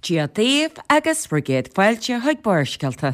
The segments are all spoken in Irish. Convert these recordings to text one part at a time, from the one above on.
Dia daoibh agus bhur gcéad fáilte chuig Barrscéalta.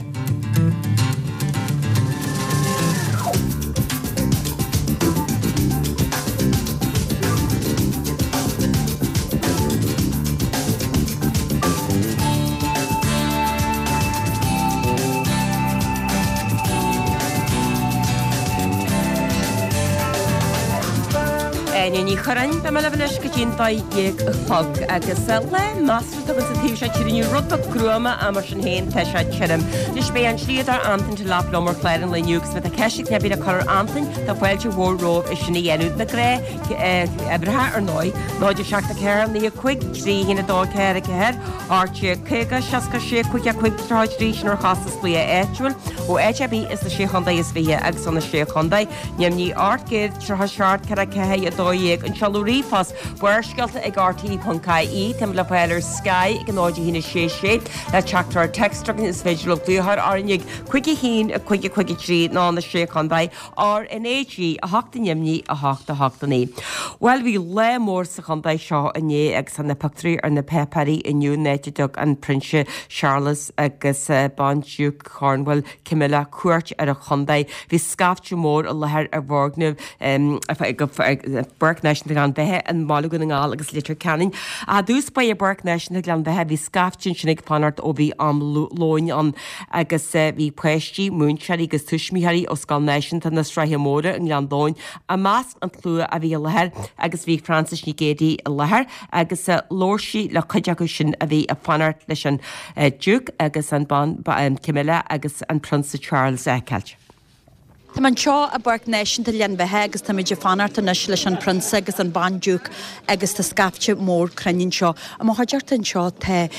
Áine Ní Churráin, beidh mé libh anois go dtí'n 12 a chlog agus lá measartha againn sa taobh seo tíre inniu, rud beag gruama ach mar sin féin tá sé tirim. Anois beidh an slíodóir Antain Delap liom ar chlár an lae inniu agus má tá ceist ar bith le cur ar Antain tá fáilte mhór romhaibh é sin a dhéanamh. Na gnáthuimhreacha ar ndóigh, 0 7 4 9 5 3 1 2 4 4 8 50 66 5 5 33 sin ar chostas glaoch áitiúil ó áit ar bith sna Sé Chontae is Fiche agus ó na Sé Chontae. Neamhní 837 4 4 12 An seoladh ríomhphost, Barrscéalta ag rte.ie Táimid le fáil ar Sky ag 0 1 6 6 Le teachtaireacht téacs chugainn is féidir libh glaoch orainn ag 5 1 5 5 3 nó na Sé Chontae RnaG 8 Neamhní 8 8 9 Bhuel bhí lá mór sa chontae seo inné agus tá na pictiúirí ar na páipéirí inniu an áit a dtug an Prionsa Charles agus Bandiúc Cornwall Camilla cuairt ar an chontae. Bhí scaifte mór i láthair i bhfoirgneamh Pháirc Náisiúnta Ghleann Bheatha i mBaile Dhún na nGall agus Leitir Ceanainn. I dtús báire i bPáirc Náisiúnta Ghleann Bheatha bhí scaifte ansin ag fanacht ó bhí am lóin ann agus bhí páistí, múinteoirí agus tuismitheoirí ó Scoil Náisiúnta na Sraithe Móire i nGleann Domhain i measc an tslua a bhí i láthair agus bhí Frances Nic Géadaigh i láthair agus labhair sí le cuid acu sin a bhí ag fanacht leis an Diúc agus an Bhan Camilla agus an Prionsa Charles a fheiceáilt. Tá mé anseo i bPáirc Náisiúnta Ghleann Bheatha agus táimid ag fanacht anois leis an Prionsa agus an Bandiúc agus tá scaifte mór cruinnithe anseo. I mo chuideachta anseo tá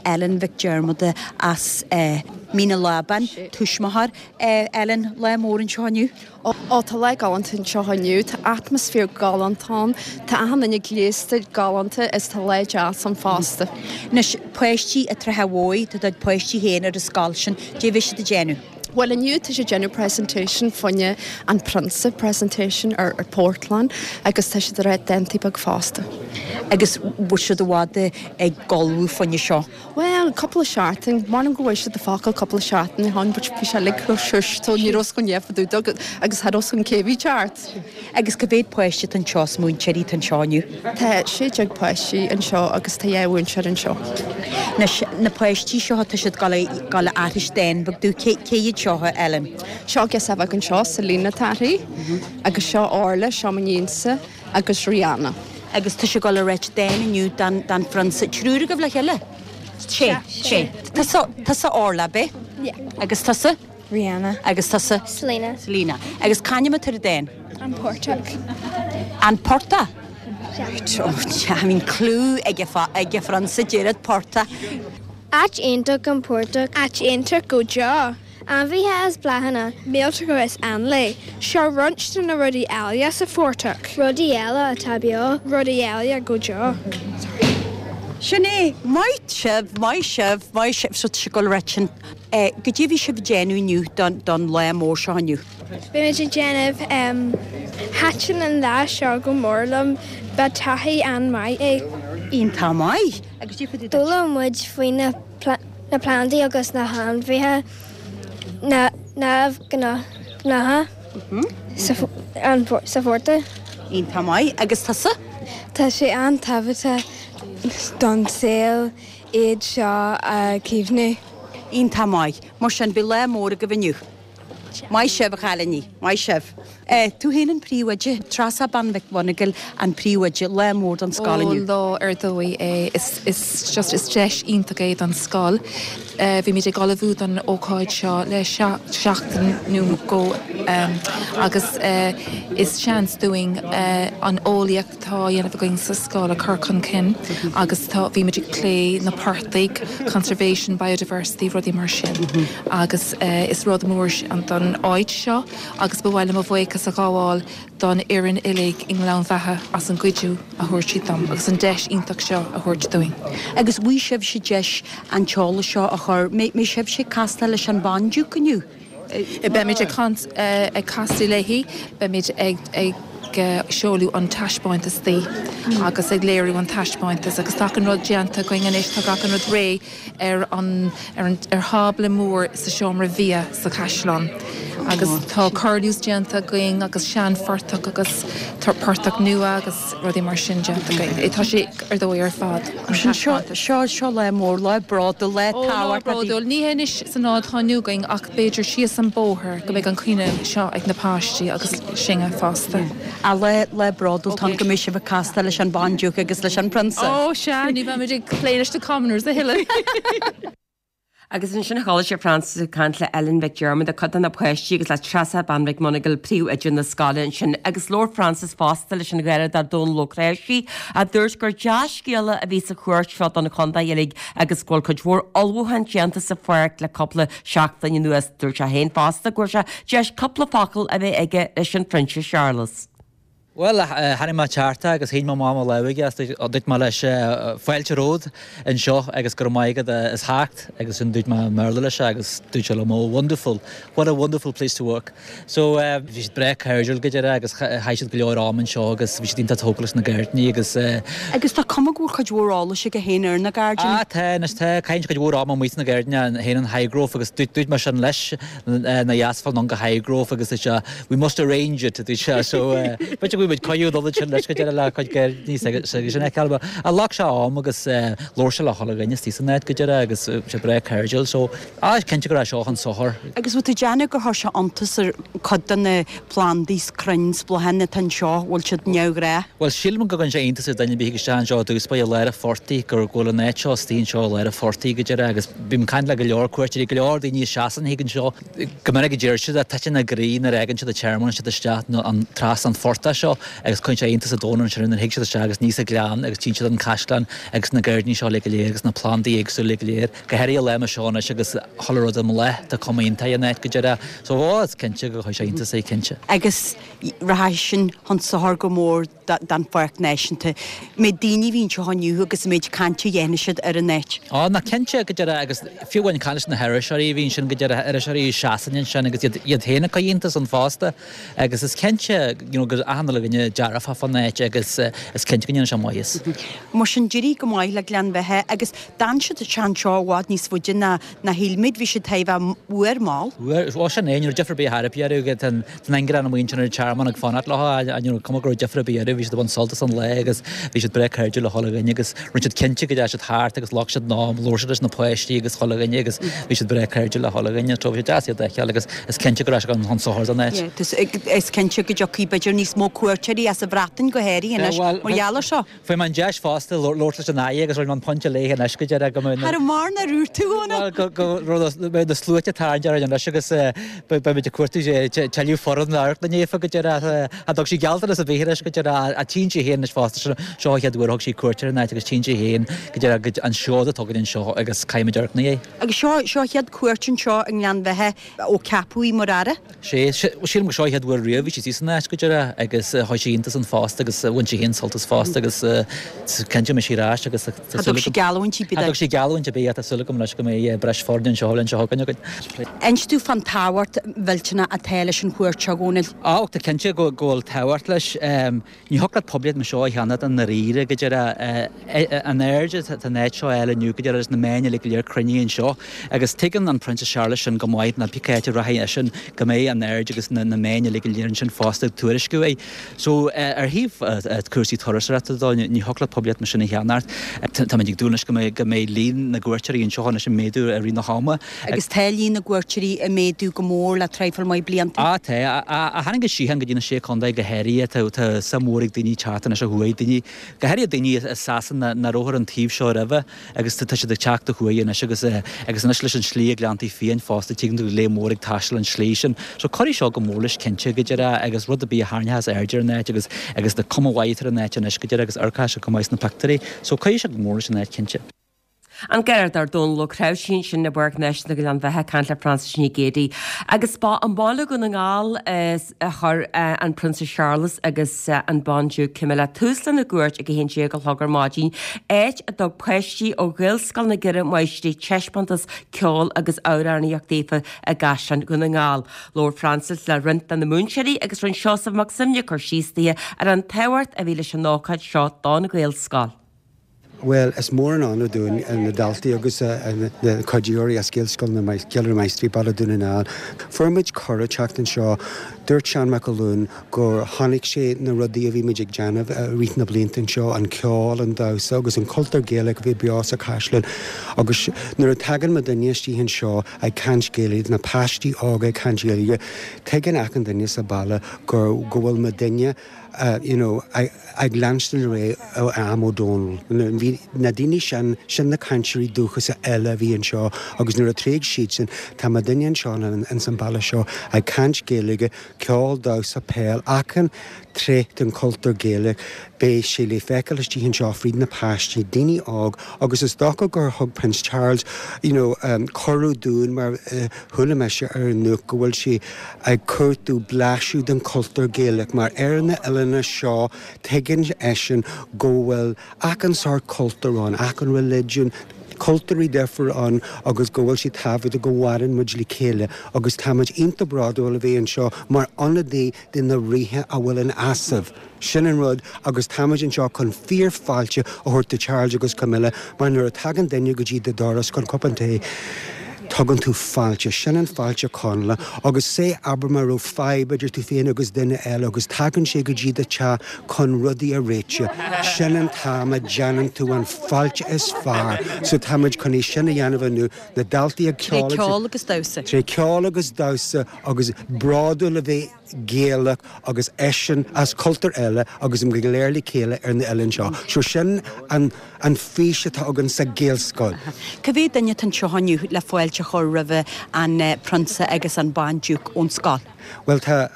Ellen Mhic Diarmada as Mín an Lábáin, tuismitheoir. Ellen, lá mór anseo inniu. Ó, tá lá galánta anseo inniu. Tá atmaisféar galánta ann. Tá achan duine gléasta galánta is tá lá deas ann fosta. Anois, páistí an tSratha Mhóir, tá do pháistí féin ar an scoil sin. Cad é a bhí siad ag déanamh? Bhuel, inniu tá siad ag déanamh presentation fá choinne an Prionsa, presentation ar ar portlann agus tá siad ag rá dántaí beag fosta. Agus bhfuil siad i bhfad ag ullmhú fá choinne seo? Bhuel, cúpla seachtain. M'anam go bhfuair siad na focail cúpla seachtain ó shin but bhí sé uilig chomh shush so ní raibh 's againn fá dtaobh de agus cha raibh 's againn cé bhí ceart. Agus cá mhéad páiste atá anseo is múinteoirí atá anseo inniu? Tá 16 páistí anseo agus tá 2 mhúinteoir anseo. Anois, na páistí seo, tá siad ag dul a aithris dán beag dúinn. Cé cé hiad seo, a Ellen? Seo girseach bheag anseo, Selina atá uirthi, agus seo Orla, seo m'iníonsa. agus Rihanna. Agus tá sé ag dul a ráit dán inniu don don phrionsa. Triúr agaibh le chéile? Sé. Sé. Tusa tusa Orla, ab é? Yeah. Agus tusa? Rihanna. Agus tusa? Selina. Selina. Agus c'ainm atá ar an dán? An Portach. An Portach? Yeah. Oh, I mean clue ag ag an phrionsa deireadh portach. Áit iontach an portach. Áit iontach go deo. Ainmhithe is bláthanna. Míoltóga is éanlaith. Seo roinnt de na rudaí áille sa phortach. Rudaí eile atá beo. Rudaí eile go deo. Sorry. Sin é. Maith sibh, maith sibh, maith sibh. So tá sé ag dul a ráit sin. Cad é a bhí sibh ag déanamh inniu don, don lá mór seo inniu? Beimid ag déanamh. Thaitin an lá seo go mór liom. Ba taithí an-mhaith é. Iontach maith. Agus cad é fá dtaobh duit? D'fhoghlaim muid faoi na. na plandaí agus na hainmhithe neamhghnácha sa phortach. Iontach maith. Agus tusa? Tá sé an-tábhachtach don saol iad seo a chaomhnú. Iontach maith. Mar sin, beidh lá mór agaibh inniu. Maith sibh, a chailíní. Maith sibh. Tú féin an príomhoide, Treasa Bean Mhic Mhonagail an príomhoide, lá mór don scoil Ó, inniu. lá ar dóigh é. Is, is just, is deis iontach é don scoil. Bhímid ag ullmhú don ócáid seo le seachtain nó dhó agus is seans dúinn an eolaíocht atá á dhéanamh againn sa scoil a chur chun cinn agus tá, bhímid ag plé na portaigh, conservation, biodiversity, rudaí mar sin agus is rud mór don áit seo agus ba mhaith liom mo bhuíochas a ghabháil don fhoireann uilig i nGleann Bheatha as an gcuidiú a thabhairt siad dom agus an deis iontach seo a thabhairt dúinn. Agus bhfaighidh sibhse deis an t-eolas seo a chur, mbeidh sibhse ag castáil leis an Bhandiúc inniu? Beimid ag caint, ag castáil léi, beimid ag. seoladh an taispeántas di agus ag léiriú an taispeántas agus tá achan rud déanta againn anois, tá achan rud réidh ar an ar an ar thábla mór sa seomra bia sa chaisleán agus tá curlews déanta againn agus seanphortach agus portach nua agus rudaí mar sin déanta againn. Tá sé ar dóigh ar fad, an taispeántas. Seo seo lá mór, lá bródúil, lá Ó, lá tábhachtach. bródúil. Ní hé anois san lá atá inniu againn ach b'fhéidir síos an bóthar go mbeidh an caoineadh seo ag na páistí agus sinne fosta. Á, lá, lá bródúil atá ann go mbeidh sibh ag castáil leis an Bhandiúc agus leis an Prionsa. Ó, sea, ní bheimid ag plé leis na commoners a thuilleadh. Agus ansin chuala sibh Frances ag caint le Ellen Mhic Diarmada, cuid de na páistí, agus le Treasa Bean Mhic Monagle, príomhoide na scoile ansin. Agus labhair Frances fosta leis an Gharradóir Dónal Ó Cnáimhsí, a dúirt gur dea-scéala a bhí sa chuairt seo don chontae uilig agus go bhfuil cuid mhór ullmhúchán déanta sa pháirc le cúpla seachtain anuas. Dúirt sé féin fosta go bhfuair sé deis cúpla focal a bheith aige leis an Phrionsas Séarlas. Bhuel, tháinig mé thart agus shín mé amach mo lámh aige agus dúirt mé leis fáilte romhat anseo agus go raibh maith agat as theacht agus ansin dúirt mé i mBéarla leis agus dúirt sé liom oh wonderful, what a wonderful place to work. So bhí siad breá cairdiúil go deireadh agus chaith siad go leor am anseo agus bhí siad iontach tógtha leis na gairdíní agus. Agus tá cuma go bhfuil cuid mhór eolais aige féin ar na gairdíní. Ah tá, anois tá, caitheann sé cuid mhór ama amuigh sna gairdíní féin in Highgrove agus dúirt mé sin leis nár dheas fáil anonn go Highgrove agus dúirt sé we must arrange it a dúirt sé so b'fhéidir go bhfuil muid coinniú dul ansin leis go deireadh le cuid gairdíní s'aige sin a fheiceáil. Ach ghlac sé am agus labhair sé le chuile dhuine istigh san áit go deireadh agus bhí sé breá cairdiúil so ah is cinnte go raibh seo chun sochair. Agus bhfuil tú ag déanamh gur chuir sé iontas ar cuid de na plandaí 's crainn 's bláthanna atá anseo, bhfuil siad neamhghnách? Bhuel sílim go gcuireann sé iontas ar duine ar bith a thig isteach anseo i dtús báire i lár an phortaigh gur go bhfuil an áit seo istigh anseo i lár an phortaigh go deireadh agus bím ag caint le go leor cuairteoirí, go leor daoine as Sasain a thig anseo, go minic a deir siad, titeann a gcroí nuair a fhágann siad an tearmann siad isteach an trasna an phortach seo agus cuireann sé iontas an domhain ansin nuair a thig siad isteach agus aníos an gleann agus tchíonn siad an caisleán agus na gairdíní seo uilig go léir agus na plandaí éagsúla uilig go léir, go háirithe lá mar seo anois agus chuile rud i mbláth, tá cuma iontach ar an áit go deireadh. So, ó, is cinnte gur chuir sé iontas air, cinnte. Agus rachaidh sin chun sochair go mór don Pháirc Náisiúnta. An méid daoine a bhí anseo inniu agus an méid cainte a dhéanfaidh siad ar an áit. Á, ná cinnte, go deireadh, agus fiú amháin caint leis na hiriseoirí a bhí ansin, go deireadh, iriseoirí i Sasain ansin agus iad, iad féin ag cur iontas ann fosta. Agus is cinnte, you know, go raibh achan uile dhuine dearfach fán áit agus is cinnte go ndéanfaidh sé maitheas. Mar sin, d'éirigh go maith le Gleann Bheithe agus d'fhan siad anseo i bhfad níos faide ná ná shíl muid, bhí siad thar a bheith uair mall. Uair, ó sin é, ní raibh difear ar bith ar bith orthu, tá an ingearán amuigh ansin ar an tearmann ag fanacht leo, ní raibh cuma go raibh difear ar bith orthu, bhí siad ag baint sult as an lá agus bhí siad breá cairdiúil le chuile dhuine agus rinne siad cinnte go dteachaigh siad thart agus ghlac siad an am, labhair siad leis na páistí agus chuile dhuine agus bhí siad breá cairdiúil le chuile dhuine, so bhí sé deas iad a fheiceáil agus is cinnte go raibh sé chun sochair don áit. Yeah, is cinnte go dtiocfaidh b'fhéidir níos mó cuairteoirí as an Bhreatain go háirithe anois mar gheall ar seo. Fuair mé an deis fosta labhairt leis an Aire agus rinne mé an pointe léi anois go deireadh go mbeidh na. Cha raibh mórán ar úr tú, a Dhónaill. Bhuel, go mbeidh na sluaite ag tarraingt orainn anois agus beimid ag cuartú tuilleadh foireann amharclainne daofa go deireadh. Cha dtug sí gealltanas ar bith anois go deireadh ach tchíonn sí féin anois fosta, seo an chéad uair a thug sí cuairt ar an áit agus tchíonn sí féin go deireadh an seod atá againn anseo agus caithfimid amharc ina dhiaidh. Agus seo a chéad cuairt anseo i nGleann Bheithe ó ceapadh í mar Aire. Sé, sílim gur seo an chéad uair riamh bhí sí istigh san áit go deireadh agus chuir sí iontas ann fosta agus bhain sí féin sult as fosta agus cinnte go mbeidh sí ar ais agus tá súil agam. Cha dtug sí geallúint ar bith. Cha dtug sí geallúint ar bith ach tá súil agam anois go mbeidh breis foirne anseo an bhliain seo chugainn againn. Inis domh fán tábhacht mhillteanach atá leis an chuairt seo, a Dhónaill. Á, tá cinnte go bhfuil tábhacht leis. Ní thiocfadh leat poiblíocht mar seo a cheannacht i ndáiríre, go deireadh. An aird atá an áit seo a fháil inniu, go deireadh, agus na meáin uilig go léir cruinnithe anseo. Agus tuigeann an Prionsa Séarlas sin go maith, ná pé áit a rachaidh eisean, go mbeidh an aird agus na meáin uilig go léir ansin fosta ag tuairisciú é. So, ar thaobh cúrsaí turasóireachta de, ní thiocfadh leat poiblíocht mar sin a cheannacht. Táimid ag dúil anois go mbeidh líon na gcuairteoirí anseo anois ag méadú i rith na hama. Agus tá líon na gcuairteoirí ag méadú go mór le traidhfil maith blianta. Á, tá. Ó tháinig an síocháin go dtí na Sé Contae go háirithe, tá, tá suim mhór ag daoine teacht anois ó thuaidh, daoine, go háirithe daoine i Sasana nach raibh ar an taobh seo roimhe agus tá siad ag teacht ó thuaidh anois agus, agus anois leis an slí ag Gleanntaí Fiáin fosta, tuigeann tú lear mór ag taisteal an slí sin. So cuirfidh seo go mór leis cinnte, go deireadh, agus rud ar bith a tharraingeochas aird ar an áit agus, agus tá cuma mhaith ar an áit anois go deireadh agus amharcfaidh sé go maith sna pictiúirí. So cuirfidh sé go mór leis an áit cinnte. An Garda Dónal Ó Creabhsí ansin i bPáirc Náisiúnta Ghleann Bheatha ag caint le Frances Nic Géadaigh. Agus ba i mbaile Dhún na nGall a chuir an Prionsa Séarlas agus an Bandiúc Camilla tús lena gcuairt ag 11 a chlog ar maidin, áit a dtug páistí ó Ghaelscoil na gCeithre Máistrí taispeántas ceoil agus amhránaíocht daofa i gCaisleán Dhún na nGall. Labhair Frances le roinnt de na múinteoirí agus rinne Seosamh Mac Suibhne cur síos daoithe ar an tábhacht a bhí leis an ócáid seo don Ghaelscoil. Bhuel, is mór an onóir dúinn, na daltaí agus na cuiditheoirí as Gaelscoil na gCeithre Máistrí, Baile Dhún na nGall. Fuair muid cuireadh teacht anseo. Dúirt Seán Mac Uallúin gur chonaic sé na rudaí a bhí muid ag déanamh i rith na blianta anseo, an ceol, an damhsa agus an cultúr Gaelach a bhí beo sa chaisleán. Agus nuair a tagann muidinne istigh anseo ag caint Gaeilge, na páistí óga ag caint Gaeilge, tuigeann achan duine sa baile go go bhfuil muidinne, you know, ag leanstan ar aghaidh ó am Ó Dónaill. Bhí na daoine sin, sin na cainteoirí dúchasacha eile a bhí anseo agus nuair a thréig siadsan, tá muidinne anseo ins an baile seo ag caint Gaeilge, ceol, damhsa, peil, achan tréith den chultúr Gaelach, beidh sé le feiceáil istigh anseo fríd na páistí, daoine óg agus is dócha gur thug Prince Charles, you know, cuireadh dúinn mar chuala mise ar an nuacht go bhfuil sé ag cuartú blaiseadh den chultúr Gaelach mar ar na oileáin seo tuigeann eisean go bhfuil achan sórt cultúr ann, achan religion, cultúirí difriúil ann agus go bhfuil sé tábhachtach go mhaireann muid le chéile agus tá muid iontach bródúil a bheith anseo mar ionadaí de na ríthe a bhfuil in easnamh. Sin an rud agus táimid anseo chun fíor-fháilte a thabhairt do Charles agus Camilla mar nuair a tagann duine go dtí do doras chun cupán tae, tugann tú fáilte. Sin an fáilte Chonallach agus say abair má raibh fadhb idir tú féin agus duine eile agus tagann sé go dtí do teach chun rudaí a réiteach, sin an t-am a déanann tú an fáilte is fearr. So táimid chun é sin a dhéanamh inniu, na daltaí ag ceol agus. Tré ceol agus damhsa. Tré ceol agus damhsa agus bródúil a bheith Gaelach agus eisean as cultúr eile agus muid go léir le chéile ar na oileáin seo. So sin an an fís atá againn sa Ghaelscoil. Cá mhéad duine atá anseo inniu le fáilte a chur roimhe an Prionsa agus an Bandiúc ón scoil? Bhuel tá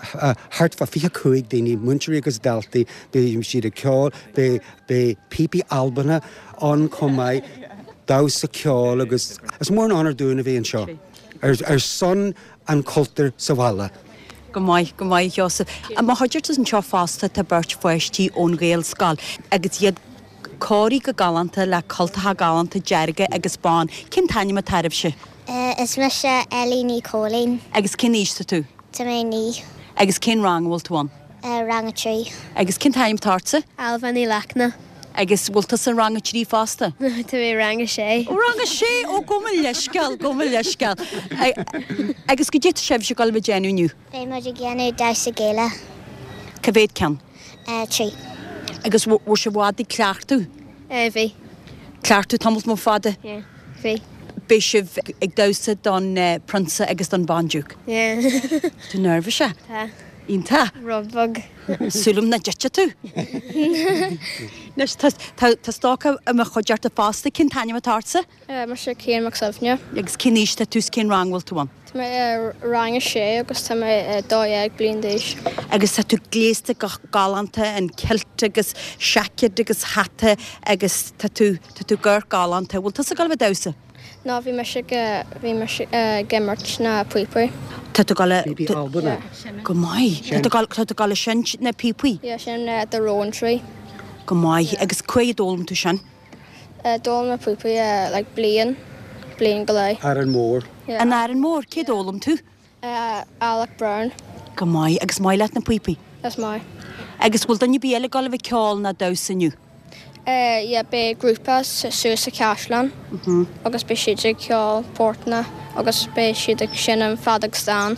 thart fá 25 daoine, múinteoirí agus daltaí, beidh siad ag ceol, beidh beidh píopaí Albanacha ann chomh maith, damhsa, ceol agus is mór an onóir dúinn a bheith anseo ar ar son an chultúir sa bhaile. Go maith, go maith, a Sheosaimh. I mo chuideachta anseo fosta tá beirt pháistí ón Ghaelscoil agus iad cóirithe go galánta le cultacha galánta dearga agus bán. Cén t-ainm atá oraibhse? Is mise Ellie Ní Chóilín. Agus cén aois tá tú? Tá mé 9. Agus cén rang a bhfuil tú ann? Rang a 3. Agus cén t-ainm atá ortsa? Ailbhe Ní Lachtna. Agus bhfuil tusa i rang a 3 fosta? Tá mé i rang a 6. Ó rang a 6! Ó gabh mo leithscéal, gabh mo leithscéal. Agus goidé tá sibhse ag dul a bheith ag déanamh inniu? Beidh muid ag déanamh damhsa Gaelach. Cá mhéad ceann? 3. Agus bhfuil sibh i bhfad ag cleachtadh? Bhí. Cleachtadh tamall mór fada? Yeah, bhí. Beidh sibh ag damhsa don Prionsa agus don Bandiúc? Yeah. Tú neirbhíseach? Tá. Iontach. Rud beag. Súil agam nach dtitfidh tú. Anois, tá stócach i mo chuideachta fosta. Cén t-ainm atá ortsa? Mise Cian Mac Suibhne. Agus cén aois tá tú is cén rang bhfuil tú ann? Tá mé i rang a sé agus tá mé 12 bliain d'aois. Agus tá tú gléasta go galánta in kilt agus seaicéad agus hata agus tá tú, tá tú ag amharc galánta. Bhfuil tusa ag dul a bheith ag damhsa? No bhí mise ag, bhí mise ag imirt na píopaí. Tá tú ag dul a. Píopaí Albanach. Go maith. Tá tú ag dul, tá tú ag dul a seinnt na píopaí? Yeah, sin The Rowan Tree. Go maith. Agus cá huair a d'fhoghlaim tú sin? D'fhoghlaim mé píopaí like bliain, bliain go leith. Árainn Mhór. Yeah. In Árainn Mhór, cé d'fhoghlaim tú? Alec Brown. Go maith. Agus maith leat na píopaí? Is maith. Agus bhfuil duine ar bith eile ag dul a bheith ag ceol ná damhsa inniu? Yeah, beidh grúpa suas sa chaisleán agus beidh siad ag ceol portanna agus beidh siad ag seinm feadóg stáin.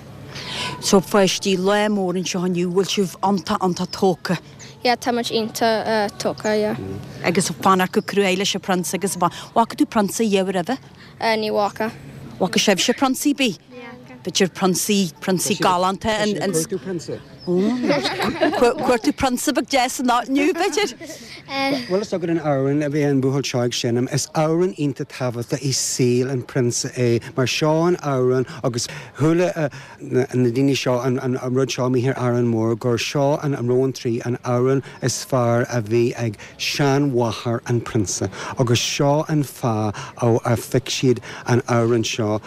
So pháistí, lá mór anseo inniu, bhfuil sibh iontach, iontach tógtha? Yeah, tá muid iontach tógtha, yeah. Agus fanacht go cruaidh leis an Prionsa agus an Bhfaca tú Prionsa riamh roimhe? Ní bhfaca. Bhfaca sibhse prionsaí ar bith? Ní fhaca. B'fhéidir prionsaí, prionsaí galánta. Tá sé ag cuartú prionsa. Cuartú prionsa beag deas inniu, b'fhéidir? Bhfuil fhios agat an amhrán a bhí an buachaill seo ag seinm? Is amhrán iontach tábhachtach i saol an phrionsa é, mar seo an amhrán agus chuala na daoine seo an rud seo amuigh ar Árainn Mhór gur seo an Rowan Tree an amhrán is fearr a bhí ag seanmháthair an phrionsa agus seo an fáth a phioc siad an amhrán seo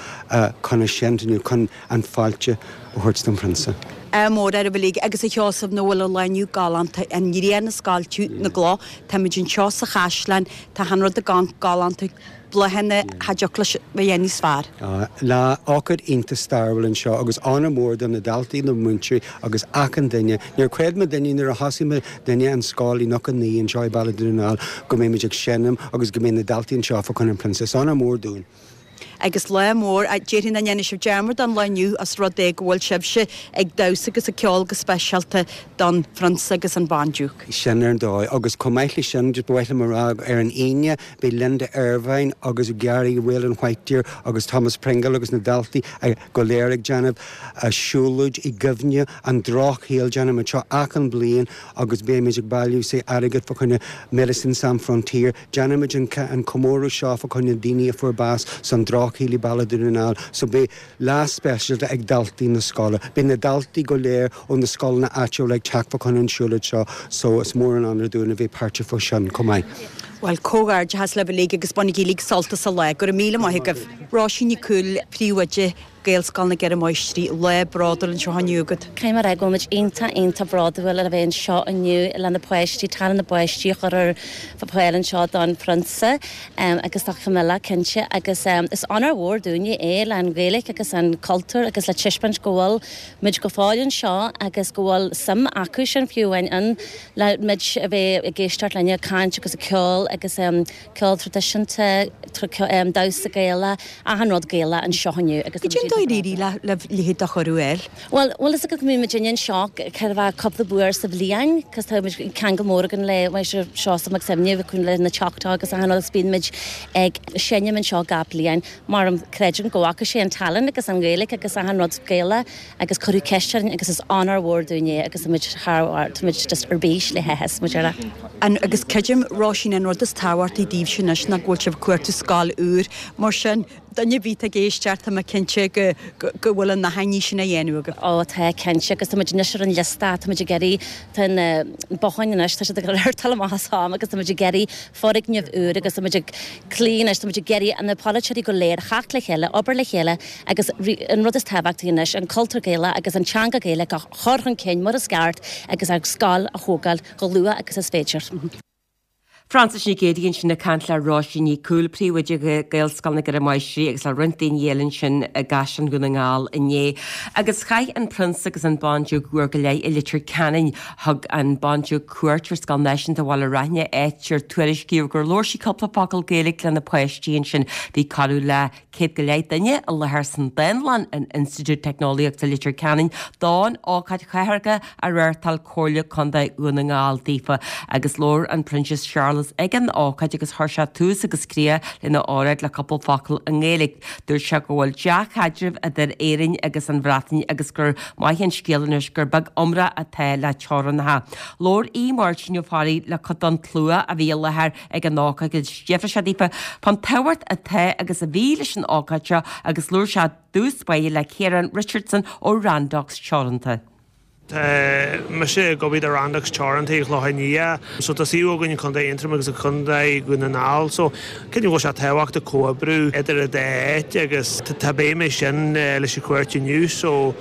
chun a seinnt inniu, chun an fáilte a thabhairt don phrionsa. Ádh mór oraibh uilig agus a Sheosaimh nach bhfuil an lá inniu galánta, an ghrian ag scoilteadh na gcloch, táimid anseo sa chaisleán, tá achan rud ag amharc galánta, bláthanna, cha dtiocfadh leis a bheith níos fearr. Lá, ócáid iontach stairiúil anseo agus onóir mór do na daltaí, na múinteoirí agus achan duine. Níor chreid muidinne nuair a thosaigh muidinne an scoil i 99 anseo i Baile Dhún na nGall go mbeidh muid ag seinm agus go mbeidh na daltaí anseo fá choinne an phrionsa. Is onóir mór dúinn. Agus lá mór, déarfainn nach ndéanfaidh sibh dearmad den lá inniu os rud é go bhfuil sibhse ag damhsa agus ag ceol go speisialta don Phrionsa agus an Bhandiúc. Sin ar ndóigh. Agus chomh maith leis sin, just ba mhaith liom a rá ar an Aoine, beidh Linda Ervine agus Gary Whelan Whitedeer agus Thomas Pringle agus na daltaí go léir ag déanamh siúlóid i gcuimhne an drochshaoil. Déanaimid seo achan bliain agus beimid ag bailiú say airgead fá choinne Médecins Sans Frontières. Déanaimid an comóradh seo fá choinne daoine a fuair bás san drochshaol i Baile Dhún na nGall so beidh lá speisialta ag daltaí na scoile. Beidh na daltaí go léir ó na scoileanna áitiúla ag teacht fá choinne an siúlóid seo so is mór an onóir dúinn a bheith páirteach fá sin chomh maith. Bhuel, comhghairdeachas libh uilig agus bainigí uilig sult as an lá. Go raibh míle maith agaibh. Róisín Nic Cumhaill, Príomhoide Gaelscoil na gCeithre Máistrí, lá bródúil anseo inniu agat. Caithfidh mé a rá go bhfuil muid iontach, iontach bródúil le bheith anseo inniu le na páistí, tallann na bpáistí a chur ar fáil anseo don Phrionsa agus do Camilla cinnte agus is onóir mhór dúinne é le an Ghaeilge agus an cultúr agus le taispeáint go bhfuil muid go fóill anseo agus go bhfuil suim acu sin fiú amháin ann le muid a bheith ag éisteacht linn ag caint agus ag ceol agus ceol traidisiúnta, damhsa Gaelach, achan rud Gaelach anseo inniu agus Cad é an dóigh ar éirigh libh a leithéid de chuireadh a fháil? Bhuel, bhfuil fhios agat go mbíonn muidinne anseo chóir a bheith cúpla uair sa bhliain cos tá muid ceangal mór againn le Máistir Seosamh Mac Suibhne le na teachtaí agus achan rud agus bíonn muid ag seinm anseo gach bliain mar creidim go bhfaca sé an tallann agus an Ghaeilge agus achan rud Gaelach agus cuireadh ceist orainn agus is onóir mhór dúinn é agus tá muid thar barr, tá muid just ar bís le háthas, muid ar a. An, agus creidim, Róisín, an rud is tábhachtaí daoibhse anois ná go bhfuil sibh ag cuartú scoil úr, mar sin, duine ar bith atá ag éisteacht, tá mé cinnte go, go, go bhfuil an achainí sin á dhéanamh agaibh. Ó, tá, cinnte, agus tá muid anois ar an liosta, tá muid ag iarraidh, tá na botháin anois, tá siad ag dul amach as am agus tá muid ag iarraidh foirgneamh úr agus tá muid ag cloí anois, tá muid ag iarraidh na polaiteoirí go léir a theacht le chéile, obair le chéile Agus an rud is tábhachtaí anois, an cultúr Gaelach agus an teanga Ghaeilge a chur chun cinn mar is ceart agus ár scoil a thógáil chomh luath agus is féidir. Frances Nic Géadaigh ansin ag caint le Róisín Ní Chumhaill, Príomhoide Ghaelscoil na gCeithre Máistrí agus le roinnt daoine eile ansin i gCaisleán Dhún na nGall inné. Agus chaith an Prionsa agus an Bandiúc uair go leith i Leitir Ceanainn. Thug an Bandiúc cuairt ar Scoil Náisiúnta Bhaile Raithne, áit ar tuairiscíodh gur labhair sí cúpla focal Gaeilge le na páistí ansin. Bhí corradh le 100 go leith duine i láthair san Dánlann in Institiúid Teicneolaíochta Leitir Ceanainn don ócáid chathartha a reáchtáil Comhairle Contae Dhún na nGall daofa agus labhair an Proinsias Séarlas ag an ócáid agus chuir sé tús agus críoch lena óráid le cúpla focal i nGaeilge. Dúirt sé go bhfuil dea-chaidreamh idir Éirinn agus an Bhreatain agus gur maith an scéal anois gur beag iomrá atá le teorainneacha. Labhair Aodh Máirtín Ó Fearraigh le cuid den tslua a bhí i láthair ag an ócáid agus d'fhiafraigh sé daofa fán tábhacht atá agus a bhí leis an ócáid seo agus labhair sé i dtús báire le Ciarán Richardson ó Randox Teoranta. Tá mise ag obair do Randox Teoranta i gClochán Liath. So tá suíomh againn i Contae Aontroim agus i Contae Dhún na nGall. So creidim go bhfuil sé tábhachtach comhoibriú idir an dá áit agus tá béim é sin leis an chuairt inniu. So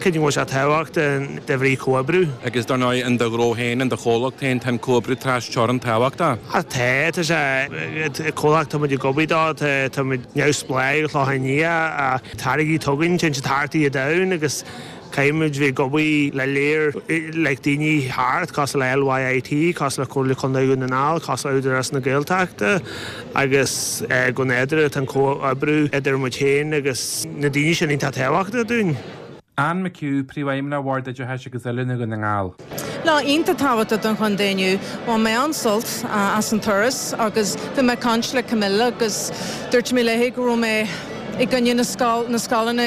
Creidim go bhfuil sé tábhachtach de bhrí comhoibriú. Agus dar ndóigh, in do ghnó féin, in do chomhlacht féin, tá an comhoibriú tras-teorann tábhachtach. Tá, tá sé, comhlacht tá muid ag obair dó, tá muid neamhspleách i gClochán Liath, ach táirgí atá againn, téann siad thart ar domhan agus caithfidh muid bheith ag obair le léir like daoine thart, cosúil le LYIT, cosúil le Comhairle Contae Dhún na nGall, cosúil le Údarás na Gaeltachta agus go nádúrtha tá an comhoibriú idir muid féin agus na daoine sin iontach tábhachtach dúinn. Anne McHugh, Príomhfheidhmeannach Bhord Oideachais agus Oiliúna Dhún na nGall. Lá iontach tábhachtach don chontae inniu. Bhain mé an-sult as an turas agus bhí mé ag caint le Camilla agus dúirt mé léi go raibh mé i gcoinne na scoil, na scoileanna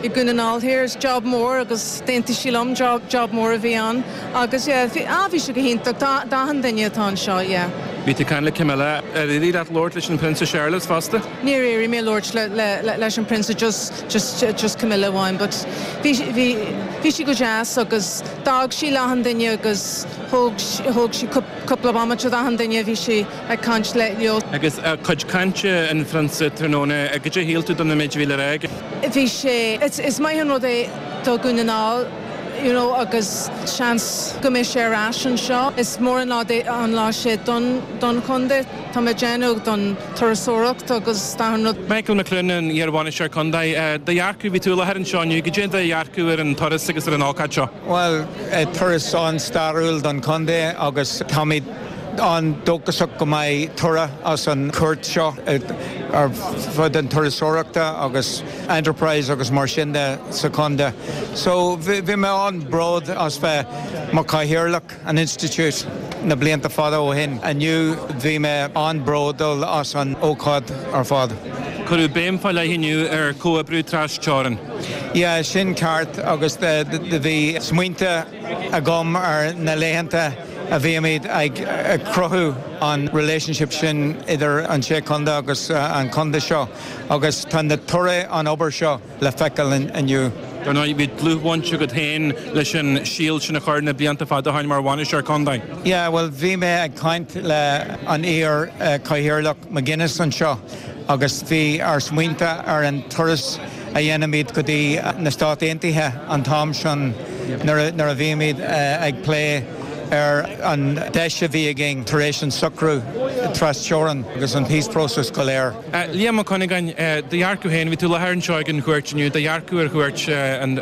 i Dhún na nGall Thiar. Is job mór agus d'aontaigh sí liom, job, job mór a bhí ann agus yeah, bhí, ah bhí sé go hiontach d'achan duine atá anseo, yeah. Bhí tú ag caint le Camilla, ar éirigh leat labhairt leis an Prionsa Séarlas fosta? Níor éirigh mé labhairt le, le, le, leis an Prionsa, just, just, just Camilla amháin but bhí, bhí, bhí sí go deas agus d'fhág sí le achan duine agus thóg, thóg sí cúpla bomaite d'achan duine, bhí sí ag caint leo. Agus cuid cainte an Phrionsa tráthnóna, cad é a shíl tú den méid a bhí le rá aige? Bhí sé, is maith an rud é do Dhún na nGall you know agus seans go mbeidh sé ar ais anseo. Is mór an lá an lá sé don don chontae, tá mé ag déanamh don turasóireacht agus d'achan rud. Michael McLoone, an iar-bhainisteoir contae, do dhearcadh, bhí tú i láthair anseo inniu, cad é do dhearcadh ar an turas agus ar an ócáid seo? Bhuel, turas an-stairiúil don chontae agus táimid an-dóchasach go mbeidh toradh as an chuairt seo ar fud an turasóireachta agus enterprise agus mar sin de sa chontae. So bhí mé an-bród as bheith mar chathaoirleach an institiúid na blianta fada ó shin. Inniu bhí mé an-bródúil as an ócáid ar fad. Cuireadh béim fá leith inniu ar chomhoibriú tras-teorann. Yeah, sin ceart agus bhí smaointe agam ar na laethanta a bhímid ag cruthú an relationship sin idir an sé chontae agus an contae seo agus tá na toradh an obair seo le feiceáil inniu. Dar ndóigh, bhí dlúthbhaint agat féin leis an síol sin a chur na blianta fada ó shin mar bhainisteoir contae. Yeah, bhuel bhí mé ag caint le an iar Chathaoirleach McGuinness anseo agus bhí ár smaointe ar an turas a dhéanaimid go dtí na Stáit Aontaithe an t-am sin nuair a bhímid ag plé ar an deis a bhí againn tar éis an socrú tras-teorann agus an peace process go léir. Liam Mac Cuinneagáin, do dhearcadh féin, bhí tú i láthair anseo ag an chuairt inniu, do dhearcadh ar chuairt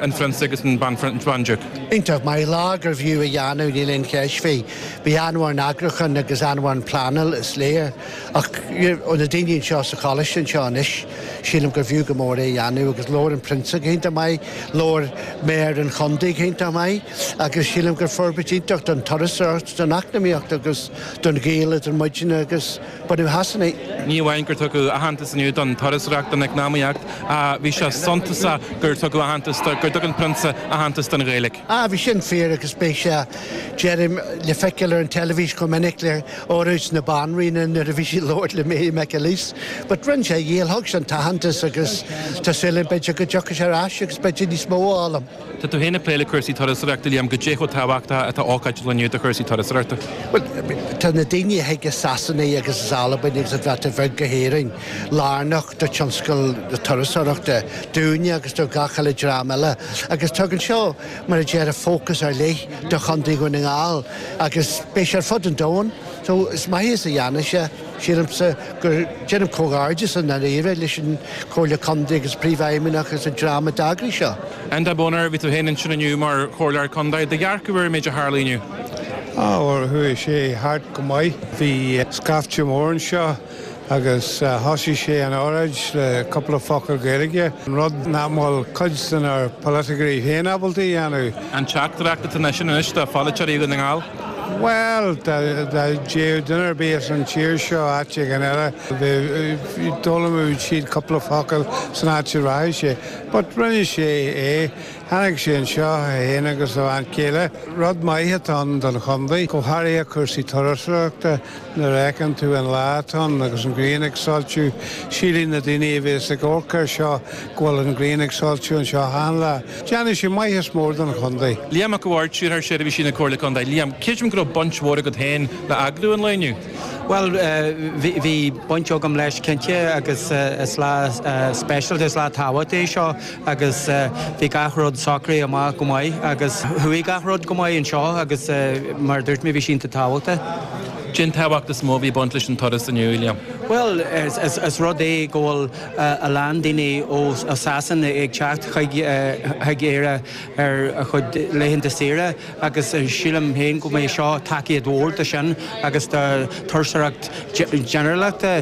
an Phrionsa agus an Bhandiúc. Iontach maith, lá gurbh fhiú a dhéanamh, níl aon cheist faoi. Bhí an-mhór an eagrúchán agus an-mhór an pleanáil, is léir. Ach ó na daoine anseo sa choláiste anseo anois, sílim gur bhfiú go mór é a dhéanamh agus labhair an Prionsa go hiontach maith, labhair Méara an Chontae go hiontach maith agus sílim gur forbairt iontach don turasóireacht, don eacnamaíocht agus don ghaol idir muidne agus bunadh Shasana. Ní amháin gur tugadh aitheantas inniu don turasóireacht, don eacnamaíocht, ach bhí sé suntasach gur tugadh aitheantas, gur thug an Prionsa aitheantas don Ghaeilge. Ah, bhí sin fíor agus beidh sé, deirim, le feiceáil ar an teilifís chomh minic le óráid na Banríona nuair a bhí sí ag labhairt le Mary McAleese. But rinne sé a dhícheall, thug sé an t-aitheantas agus tá súil agam b'fhéidir go dtiocfaidh sé ar ais agus b'fhéidir níos mó a fhoghlaim. Tá tú féin ag plé le cúrsaí turasóireachta, Liam, goidé chomh tábhachtach atá ócáid an lae inniu do chúrsaí turasóireachta? Bhuel, tá na daoine a thig as Sasana agus as Albain agus an Bhreatain Bheag go hÉirinn lárnach do tionscal na turasóireachta, dúinne agus do gach uile dream eile agus tugann seo, mar a déarfá, fócas ar leith do Chontae Dhún na nGall agus beidh sé ar fud an domhain so is maith is a dhéanfaidh sé, sílimse gur, déanaim comhghairdeas i ndáiríre leis an Chomhairle Contae agus Príomhfheidhmeannach agus an dream a d'eagraigh seo. Enda Bonner, bhí tú féin ansin inniu mar Chomhairleoir Contae, do dhearcadh ar an méid a tharla inniu? Á, bhuel, chuaigh sé thart go maith. Bhí scaifte mór anseo. Agus thosaigh sé an óráid le cúpla focal Gaeilge, an rud nach bhfuil cuid de nár polaiticeoirí féin ábalta a dhéanamh. An teachtaireacht atá ansin anois do pholaiteoirí Dhún na nGall? Bhuel, dá dtéadh duine ar bith as an tír seo áit éigin eile, d'fhoghlaimeodh siad cúpla focal san áit a rachadh sé. But rinne sé é. Tháinig sé anseo, é féin agus a bhean chéile. Rud maith atá ann don chontae, go háirithe cúrsaí turasóireachta. Nuair a fheiceann tú an lá atá ann agus an ghrian ag soilsiú, sílfidh na daoine a bhéas ag amharc air seo go bhfuil an ghrian ag soilsiú anseo achan lá. Déanfaidh sé maitheas mór don chontae. Liam Mac a' Bhaird, Stiúrthóir Seirbhísí na Comhairle Contae. Liam, creidim go raibh baint mhór agat féin le eagrú an lae inniu? Bhuel, bhí baint agam leis cinnte agus is lá speisialta, is lá tábhachtach é seo agus bhí gach rud socraithe amach go maith agus chuaigh gach rud go maith anseo agus mar a dúirt mé bhí sé iontach tábhachtach. Cén tábhacht is mó a bhí ag baint leis an turas inniu, Liam? Bhuel, is rud é go bhfuil a lán daoine ó Sasana ag teacht chuig Éire ar a chuid laethanta saoire agus sílim féin go mbeidh seo tacaíocht mhór do sin agus do turasóireacht ginearálta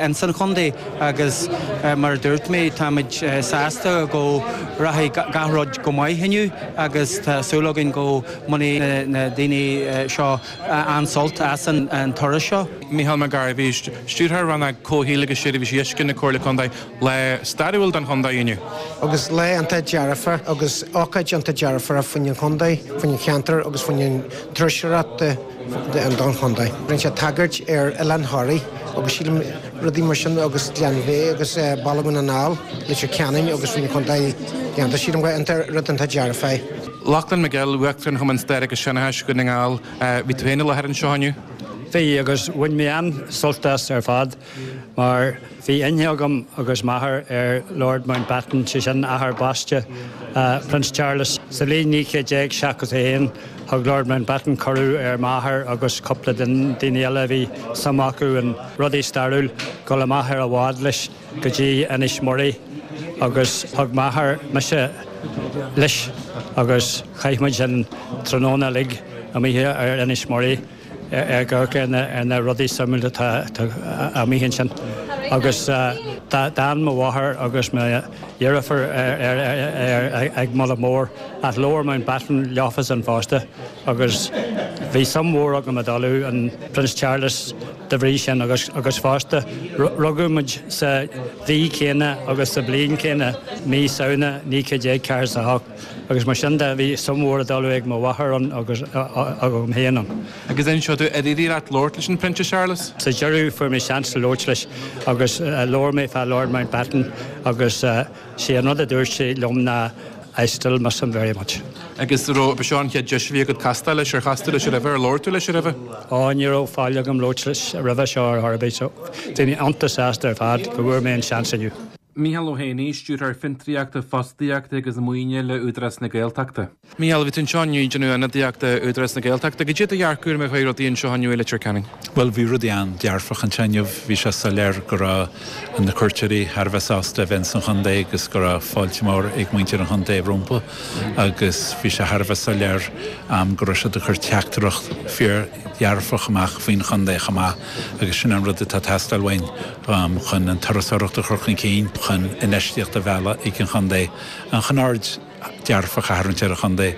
ins an chontae agus mar a dúirt mé táimid sásta go rachaidh gach rud go maith inniu agus tá súil againn go mbainfidh na daoine seo an-sult as an turas seo. Micheál Mac Gairbhí, Stiúrthóir Rannóg Comhshaoil agus Seirbhísí Uisce na Comhairle Contae, lá stairiúil don chontae inniu. Agus lá iontach dearfach agus ócáid iontach dearfach faoin an chontae, faoin an cheantar agus faoin an turasóireacht don chontae. Rinne sé tagairt ar Oileán Thoraí agus sílim rudaí mar sin agus Gleann Bheatha agus Baile Dhún na nGall, Leitir Ceanainn agus faoin chontae déanta. Sílim go rud iontach dearfach é. Lachlan McGill, Uachtarán Chumann Staire agus Seanchais Dhún na nGall, bhí tú féin i láthair anseo inniu? Bhí, agus bhain mé an-sult as ar fad mar bhí aithne agam agus m'athair ar Lord Mountbatten, sé sin athair baiste Prince Charles. Sa bhliain 1971 thug Lord Mountbatten cuireadh ar m'athair agus cúpla daoine eile a bhí suim acu in rudaí stairiúil dul amach ar a bhád leis go dtí Inis Muirí agus thug m'athair mise leis agus chaith muid an tráthnóna uilig amuigh ar Inis Muirí ag amharc ar na rudaí suimiúla atá amuigh ansin. Agus d'fhan mo mháthair agus mo dheirfiúr ag moladh mór ach labhair Mountbatten leofasan fosta agus bhí suim mhór agam i dtoilleadh an Prince Charles de bhrí sin agus agus fosta rugadh muid sa mhí chéanna agus sa bhliain chéanna, mí Samhna 1948, agus mar sin de bhí suim mhór i dtoilleadh ag mo mháthair ann agus agam féin ann. Agus inis domh, ar éirigh leat labhairt leis an Prince Charles? Sa deireadh fuair mé seans labhairt leis agus labhair mé fá Lord Mountbatten agus sé an rud a dúirt sé liom ná I still miss him very much. Agus raibh, ba seo an chéad deis a bhí agat castáil leis, ar chas tú leis roimhe, ar labhair tú leis roimhe? Ó, ní raibh faill agam labhairt leis roimhe seo ar chor ar bith so bhí mé iontach sásta ar fad go bhfuair mé an seans inniu. Micheál Ó hÉanaí, Stiúrthóir Fiontraíochta, Fostaíochta agus Maoine le Údarás na Gaeltachta. Micheál, bhí tú anseo inniu ag déanamh ionadaíochta Údarás na Gaeltachta. Goidé do dhearcadh ar mar a chuaigh rudaí anseo inniu i Leitir Ceanainn? Bhuel, bhí rudaí an-dearfach anseo inniu. Bhí sé soiléir go raibh na cuairteoirí thar a bheith sásta a bheith ins an chontae agus go raibh fáilte mhór ag muintir an chontae rompu agus bhí sé thar a bheith soiléir go raibh siad ag cur teachtaireacht fíor-dhearfach amach faoin chontae chomh maith agus sin an rud atá ag teastáil uainn chun an turasóireacht a chur chun cinn, chun infheistíocht a mhealladh ag an chontae, chun aird dearfach a tharraingt ar an chontae.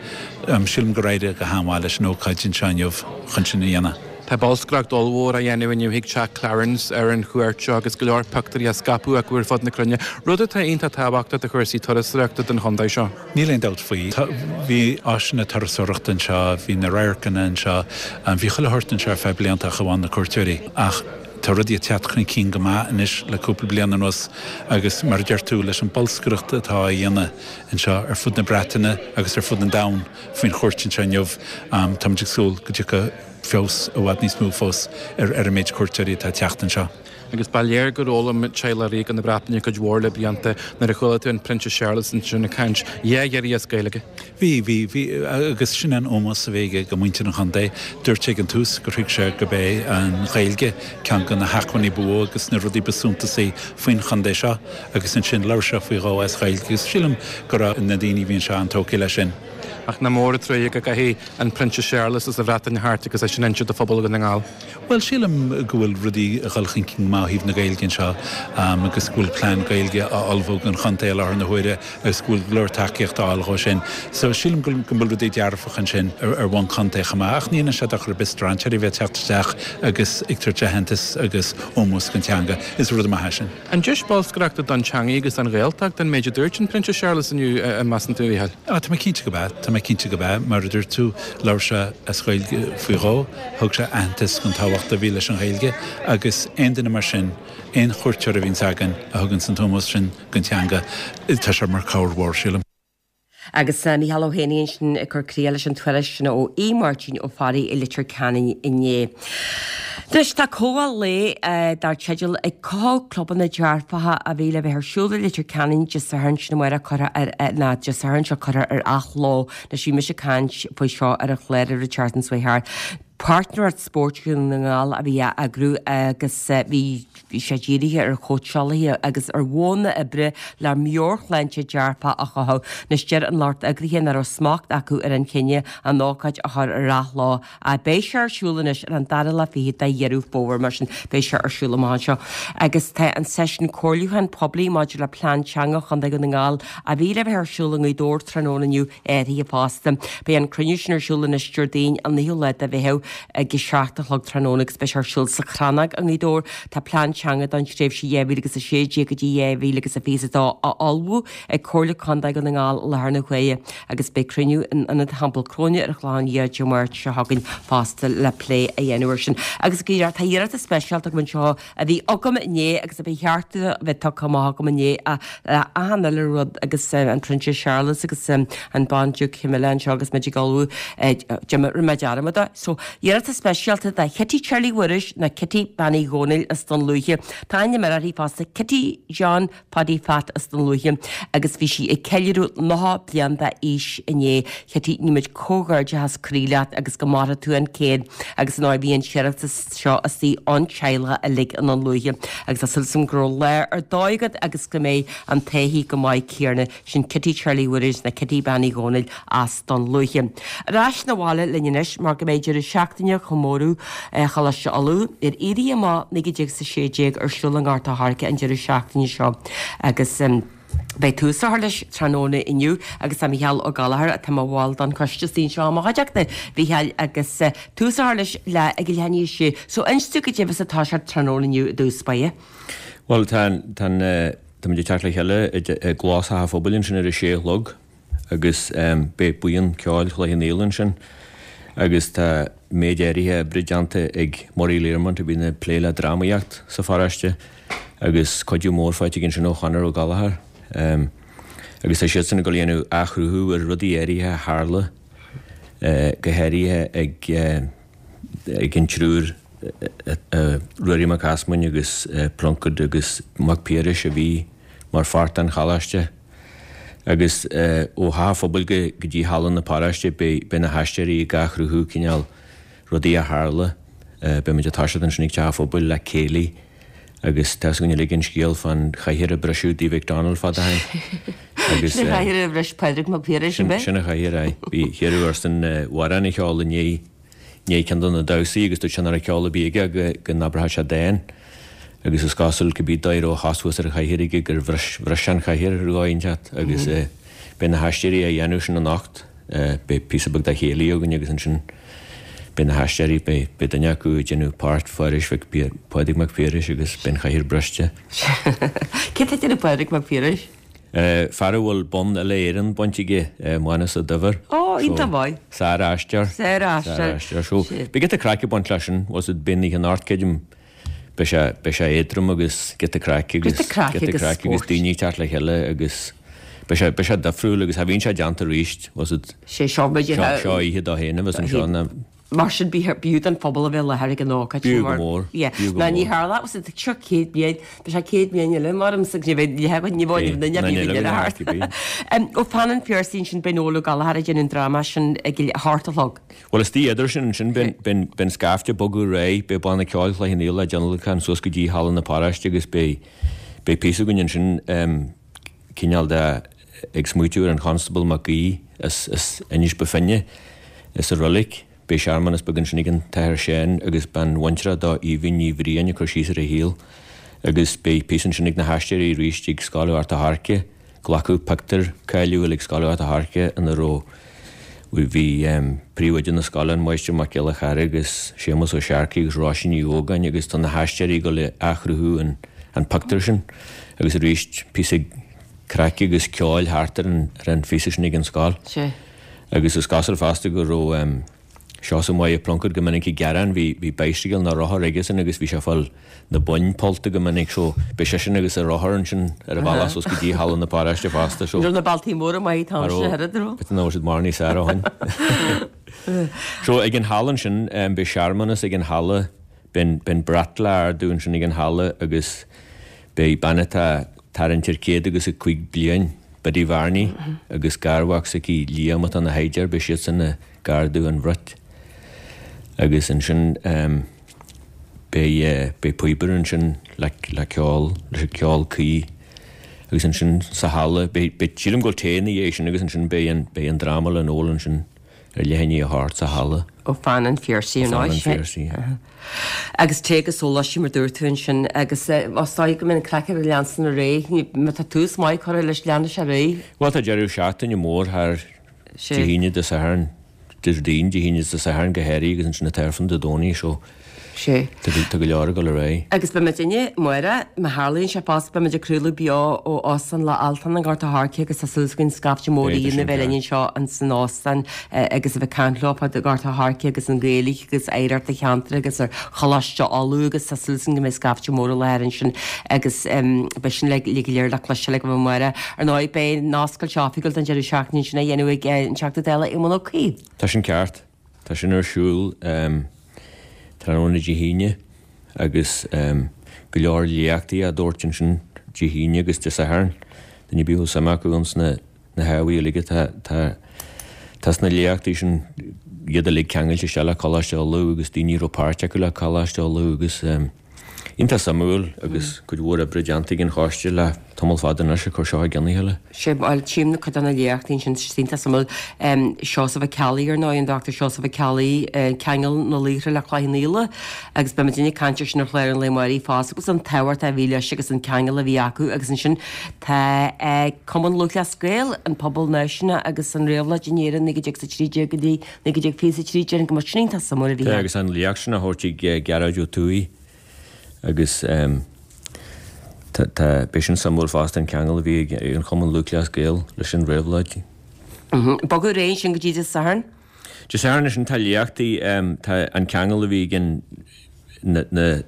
Sílim gur éirigh go han-mhaith leis an ócáid anseo inniu chun sin a dhéanamh. Tá bolscaireacht ollmhór á dhéanamh inniu chuig Teach Clarence ar an chuairt seo agus go leor pioctúirí á scaipeadh acu ar fud na cruinne, rud atá iontach tábhachtach do chúrsaí turasóireachta don chontae seo. Níl aon dabht faoi. Bhí áiseanna turasóireachta anseo, bhí na radharcanna anseo, bhí chuile shórt anseo ar feadh blianta ach amháin na cuairteoirí. Ach tá rudaí ag teacht chun cinn go maith anois le cúpla bliain anuas agus mar a deir tú, leis an bolscaireacht atá á dhéanamh anseo ar fud na Breataine agus ar fud an domhain faoin chuairt anseo inniu, táimid ag súil go dtiocfaidh feabhas i bhfad níos mó fós ar an méid cuairteoirí atá ag teacht anseo. Agus ba léir gur fhoghlaim teaghlach ríoga na Breataine cuid mhór le blianta nuair a chuala tú an Prionsa Séarlas ansin ag caint dhá iarraidh as Gaeilge. Bhí, bhí, bhí, agus sin an ómós a bhí aige do mhuintir an chontae. Dúirt sé ag an tús gur thuig sé gurb é an Ghaeilge ceann de na hacmhainní ba mhó agus na rudaí ba suntasaí faoin chontae seo agus ansin labhair sé faoi dhó as Gaeilge agus sílim go raibh na daoine a bhí anseo an-tógtha leis sin. Ach nach mór an truaighe go gcaithfidh an Prionsa Séarlas as an Bhreatain thart agus é sin a inse do phobal Dhún na nGall. Bhuel, sílim go bhfuil rudaí ag dul chun cinn go maith ó thaobh na Gaeilge anseo agus go bhfuil plean Gaeilge á ullmhú don chontae i láthair na huaire agus go bhfuil go leor tacaíocht á fháil dhó sin. So, sílim go bhfuil rudaí dearfach ansin ar bhonn contae chomh maith ach ní dhéanann sé dochar ar bith strainséirí a bheith ag teacht isteach agus ag tabhairt aitheantas agus ómós don teanga. Is rud maith é sin. An deis bolscaireachta don teangaidh agus don Ghaeltacht an méid a dúirt an Prionsa Séarlas inniu, an measann tú, a Mhícheáil? Á, tá mé cinnte go b'ea. Tá mé cinnte go b'ea. Mar a dúirt tú, labhair sé as Gaeilge faoi dhó. Thug sé aitheantas don tábhacht a bhí leis an Ghaeilge agus aon duine mar sin, aon chuairteoir a bhíonns againn a thuganns an t-ómós sin don teanga, tá sé mar cabhair mhór, sílim. Agus Mícheál Ó hÉanaí ansin ag cur críche leis an tuairisc sin ó Aodh Máirtín Ó Fearraigh i Leitir Ceanainn inné. Anois tá comhdháil lae dar teideal 'Ag Cothú Clubanna Dearfacha' a bhí le bheith ar siúl i Leitir Ceanainn Dé Sathairn sin amárach curtha ar, ná Dé Sathairn seo curtha ar athló. Anois bhí mise ag caint faoi seo ar an chlár ar an tseachtain seo chuaigh thart. Páirtnéireacht Spóirt Dhún na nGall a bhí á eagrú agus bhí sé dírithe ar chóitseálaithe agus ar mhodhanna oibre le meabhairshláinte dearfach a chothú. Anois deir an lucht eagraithe nach raibh smacht acu ar an chinneadh an ócáid a chur ar athló ach beidh sé ar siúl anois ar an dara lá fichead de Dheireadh Fómhair mar sin beidh sé ar siúl amach anseo. Agus tá an seisiún comhairliúcháin poiblí maidir le Plean Teanga Chontae Dhún na nGall a bhí le bheith ar siúl i nGaoth Dobhair tráthnóna inniu athraithe fosta. Beidh an cruinniú sin ar siúl anois Déardaoin an 9ú lá de Mheitheamh. ag a 7 a chlog tráthnóna agus beidh sé ar siúl sa Chrannóg i nGaoth Dobhair. Tá plean teanga don tréimhse 2016 go dtí 2022 á ullmhú ag Comhairle Contae Dhún na nGall i láthair na huaire agus beidh cruinniú in Ionad Theampall Cróine ar an Chlochán Liath Dé Máirt seo chugainn fosta le plé a dhéanamh air sin. Agus tá iarratas speisialta agam anseo a bhí agam inné agus a ba cheart a bheith tugtha amach agam inné le achan uile rud agus an Prionsa Séarlas agus an Bandiúc Camilla anseo agus muid ag ullmhú rinne mé dearmad de. So, iarratas speisialta do Chití Charlie Mhuiris nó Kitty Bean Uí Dhónaill as Dún Lúiche. Tá ainm eile uirthi fosta, Kitty John Phaddy Phat as Dún Lúiche agus bhí sí ag ceiliúradh 90 bliain d'aois inné. Chití, guímid comhghairdeachas croí leat agus go maire tú an céad agus ar ndóigh bhí an t-iarratas seo istigh ón teaghlach uilig i nDún Lúiche agus tá súil agam go raibh lá ar dóigh agat agus go mbeidh an taithí go maith céanna sin Kitty Charlie Mhuiris nó Kitty Bean Uí Dhónaill as Dún Lúiche. Ar ais 'na bhaile linn anois mar go mbeidh deireadh seachtaine chomóradh Choláiste Uladh ar Éirí Amach 1916 ar siúl i nGort a' Choirce an deireadh seachtaine seo agus beidh tús á chur leis tráthnóna inniu agus tá Micheál Ó Gallchóir atá mar bhall don choiste istigh anseo i mo chuideachta, a Mhichíl agus tús á chur leis le ag a leath i ndiaidh a sé. So inis dúinn goidé a bheas ag toiseacht tráthnóna inniu i dtús báire. Bhuel tá an Táimid ag teacht le chéile i gclós Theach an Phobail ansin ar a sé a chlog agus beidh buíon ceoil Chloich Cheann Fhaola ansin agus tá méid áirithe oibre déanta ag Murray Learmont a bhíonn ag plé le drámaíocht sa pharóiste agus cuidiú mór faighte aige ansin ó Chonor Ó Gallchóir agus tá siadsan ag dul a dhéanamh athchruthú ar rudaí áirithe a tharla go háirithe ag ag an triúr Ruairí Mac Easmainn agus Plunkett agus Mac Piarais a bhí mar pháirt den Choláiste. Agus ó Theach an Phobail go dtí Halla na Paróiste beidh na haisteoirí ag athchruthú cineál rudaí a tharla. Beidh muid ag toiseacht ansin ag Teach an Phobail le céilí agus tá 'fhios againn uilig an scéal fán chathaoir a briseadh Dí McDonald fad ó shin. Agus Sin an chathaoir a bhris Pádraig Mac Piarais, an b'ea? Sin an chathaoir, aye. Bhí hiarradh airsean amhrán a cheol i ndiaidh ndiaidh ceann de na damhsaí agus dúirt sé nach raibh ceol ar bith aige go go n-abródh sé dán. Agus is cosúil cibé dóigh a raibh a chos thuas ar an chathaoir aige gur bhris bhris sé an chathaoir ar dhóigh inteacht agus beidh na haisteoirí á dhéanamh sin anocht. Beidh píosa beag de chéilí againn agus ansin beidh na haisteoirí, beidh beidh duine acu ag déanamh páirt Phárais Mhic Phádraig Mac Piarais agus beidh an chathaoir briste. Cé atá ag déanamh Pádraig Mac Piarais? Fear a bhfuil bonn uile-Éireann bainte aige, Mánus Ó Duibhir. Ó, iontach maith. Sár-aisteoir. Sár-aisteoir. Sár-aisteoir. So, beidh giota craic ag baint leis sin, was it beidh an oíche anocht, creidim, beidh sé, beidh sé éadrom agus giota craic agus, Giota craic giota agus craic agus spóirt. daoine ag teacht le chéile agus beidh sé, beidh sé difriúil agus cha bhíonn sé déanta arís, was it, Sé seo muid seo, seo oíche dó féin a bheas anseo ná, Mar sin b'fhiú don phobal a bheith i láthair ag an ócáid B'fhiú go mór, b'fhiú go Ná ní mór. tharla, was it seo 100 bliain, tá sé 100 bliain eile mar am sa ní bheidh ní bheidh ní bheidh duine ar bith ag thart. Ó Fan an Phiarsaigh ansin beidh Noel Ó Gallchóir ag déanamh an dráma sin ag a hocht a chlog. Bhuel istigh idir sin ansin beidh an scaifte ag bogadh ar aghaidh, beidh banna ceoil Chloich Cheann Fhaola ag tionlacan suas go dtí Halla na Paróiste agus beidh beidh píosa againn ansin cineál de ag smaoitiú ar an Chonstable Mac Aoidh as Inis Ba Finne sa roilig. Beidh searmanas beag ansin ag an tAthair Seán agus bean bhaintreach dó Aoibhinn Ní Bhriain ag cur síos ar a shaol agus beidh píosa ansin ag na haisteoirí arís ag Scoil Ghort a' Choirce. Glacadh pictiúr cáiliúil ag Scoil Ghort a' Choirce ina raibh bhí príomhoide na scoile, an Máistir Mac Giolla Chearra agus Séamus Ó Searcaigh agus Róisín Ní Ógáin agus tá na haisteoirí ag dul a athchruthú an pictiúr sin agus arís píosa craic agus ceoil thart ar an ar an phíosa sin ag an scoil. Sea. Agus is cosúil fosta go raibh Seosamh Maighe Plunkett go minic ag gearán, bhí bhí bicycle nó rothar aigesan agus bhí sé ag fáil na boinn pollta go minic so beidh seisean agus a rothar ansin ar a bhealach suas go dtí Halla na Paróiste fosta so Ní raibh na bealtaí móra maith an t-am sin a oiread, an raibh? B'fhéidir nach raibh siad mórán níos fearr ó shin. So ag an halla ansin beidh searmanas ag an halla, beidh an brat le ardú ansin ag an halla agus Beidh bean atá tarraingt ar 105 bliain, Biddy Varney, agus garmhac s'aici Liam atá ina shaighdiúir, beidh siadsan ag ardú an bhrait. Agus ansin beidh beidh píobaire ansin le le ceol, leis an ceol cuí. Agus ansin sa halla, beidh beidh sílim go bhfuil tae ina dhiaidh sin agus ansin beidh an beidh an dráma le Noel ansin. Ar leath i ndiaidh a hocht sa halla. Ó Fan an Phiarsaigh ar ndóigh. Fan an Phiarsaigh. Agus tae agus sóláistí mar dúirt tú ansin agus is dóigh go mbeidh an craic ag leanstan ar aghaidh, má tá tús maith curtha leis leanfaidh sé ar aghaidh. Bhuel tá deireadh seachtaine mór thar Dé hAoine Dé Sathairn. Déardaoin, Dé hAoine is Dé Sathairn go háirithe agus ansin an tAifreann Dé Domhnaigh so Sea. tá go leor ag dul ar aghaidh. Agus beidh muidinne, amárach, má tharlaíonn sé fosta, beidh muid ag craoladh beo ó Óstán Loch Altan i nGort a' Choirce agus tá súil againn scaifte mór Beidh, tá daoine sin a bheith linn ceart. anseo ins an óstán agus a bheith ag caint leo fá Ghort a' Choirce agus an Ghaeilge agus oidhreacht an cheantair agus ar Choláiste Uladh agus tá súil againn go mbeidh scaifte mór i láthair ansin agus beidh sin le go léir le cloisteáil agaibh amárach. Ar ndóigh, beidh an oscailt oifigiúil don deireadh seachtaine sin á dhéanamh ag an Teachta Dála Éamon Ó Cuív. Tá sin ceart. Tá sin ar siúl tráthnóna Dé hAoine agus go leor léachtaí á dtabhairt ansin Dé hAoine agus Dé Sathairn. Duine ar bith a bhfuil suim acu ins na hábhair uilig atá tá sna léachtaí sin, iad uilig ceangailte isteach le Coláiste Uladh agus daoine a raibh páirt acu le Coláiste Uladh agus. Iontach suimiúil agus cuid mhór oibre déanta ag an choiste le tamall fada anois ag cur seo i gcionn a chéile. Sea, bhuel, tchím na cuid de na léachtaí ansin, tá siad iontach suimiúil. Seosamh Ó Ceallaigh, ar ndóigh, an Dr Seosamh Ó Ceallaigh, Ceangal na Laochra le Cloich Cheann Fhaola agus beidh muidinne ag caint air sin ar chlár an lae amáirigh fosta agus an tábhacht a bhí leis agus an ceangal a bhí acu agus ansin tá Cumann Lúthchleas Gael, an pobal náisiúnach agus an réabhlóid in Éirinn 1913 go dtí 1923, déarfainn go mbeadh sin iontach suimiúil a bhí Tá, agus an léacht sin á thabhairt ag Gearóid Ó Tuathaigh agus tá, tá, beidh sin suimiúil fosta, an ceangal a bhí ag an Chumann Lúthchleas Gael leis an réabhlóid. Bogadh ar aghaidh ansin go dtí Dé Sathairn. Dé Sathairn ansin tá léachtaí, tá an ceangal a bhí ag an, na, na,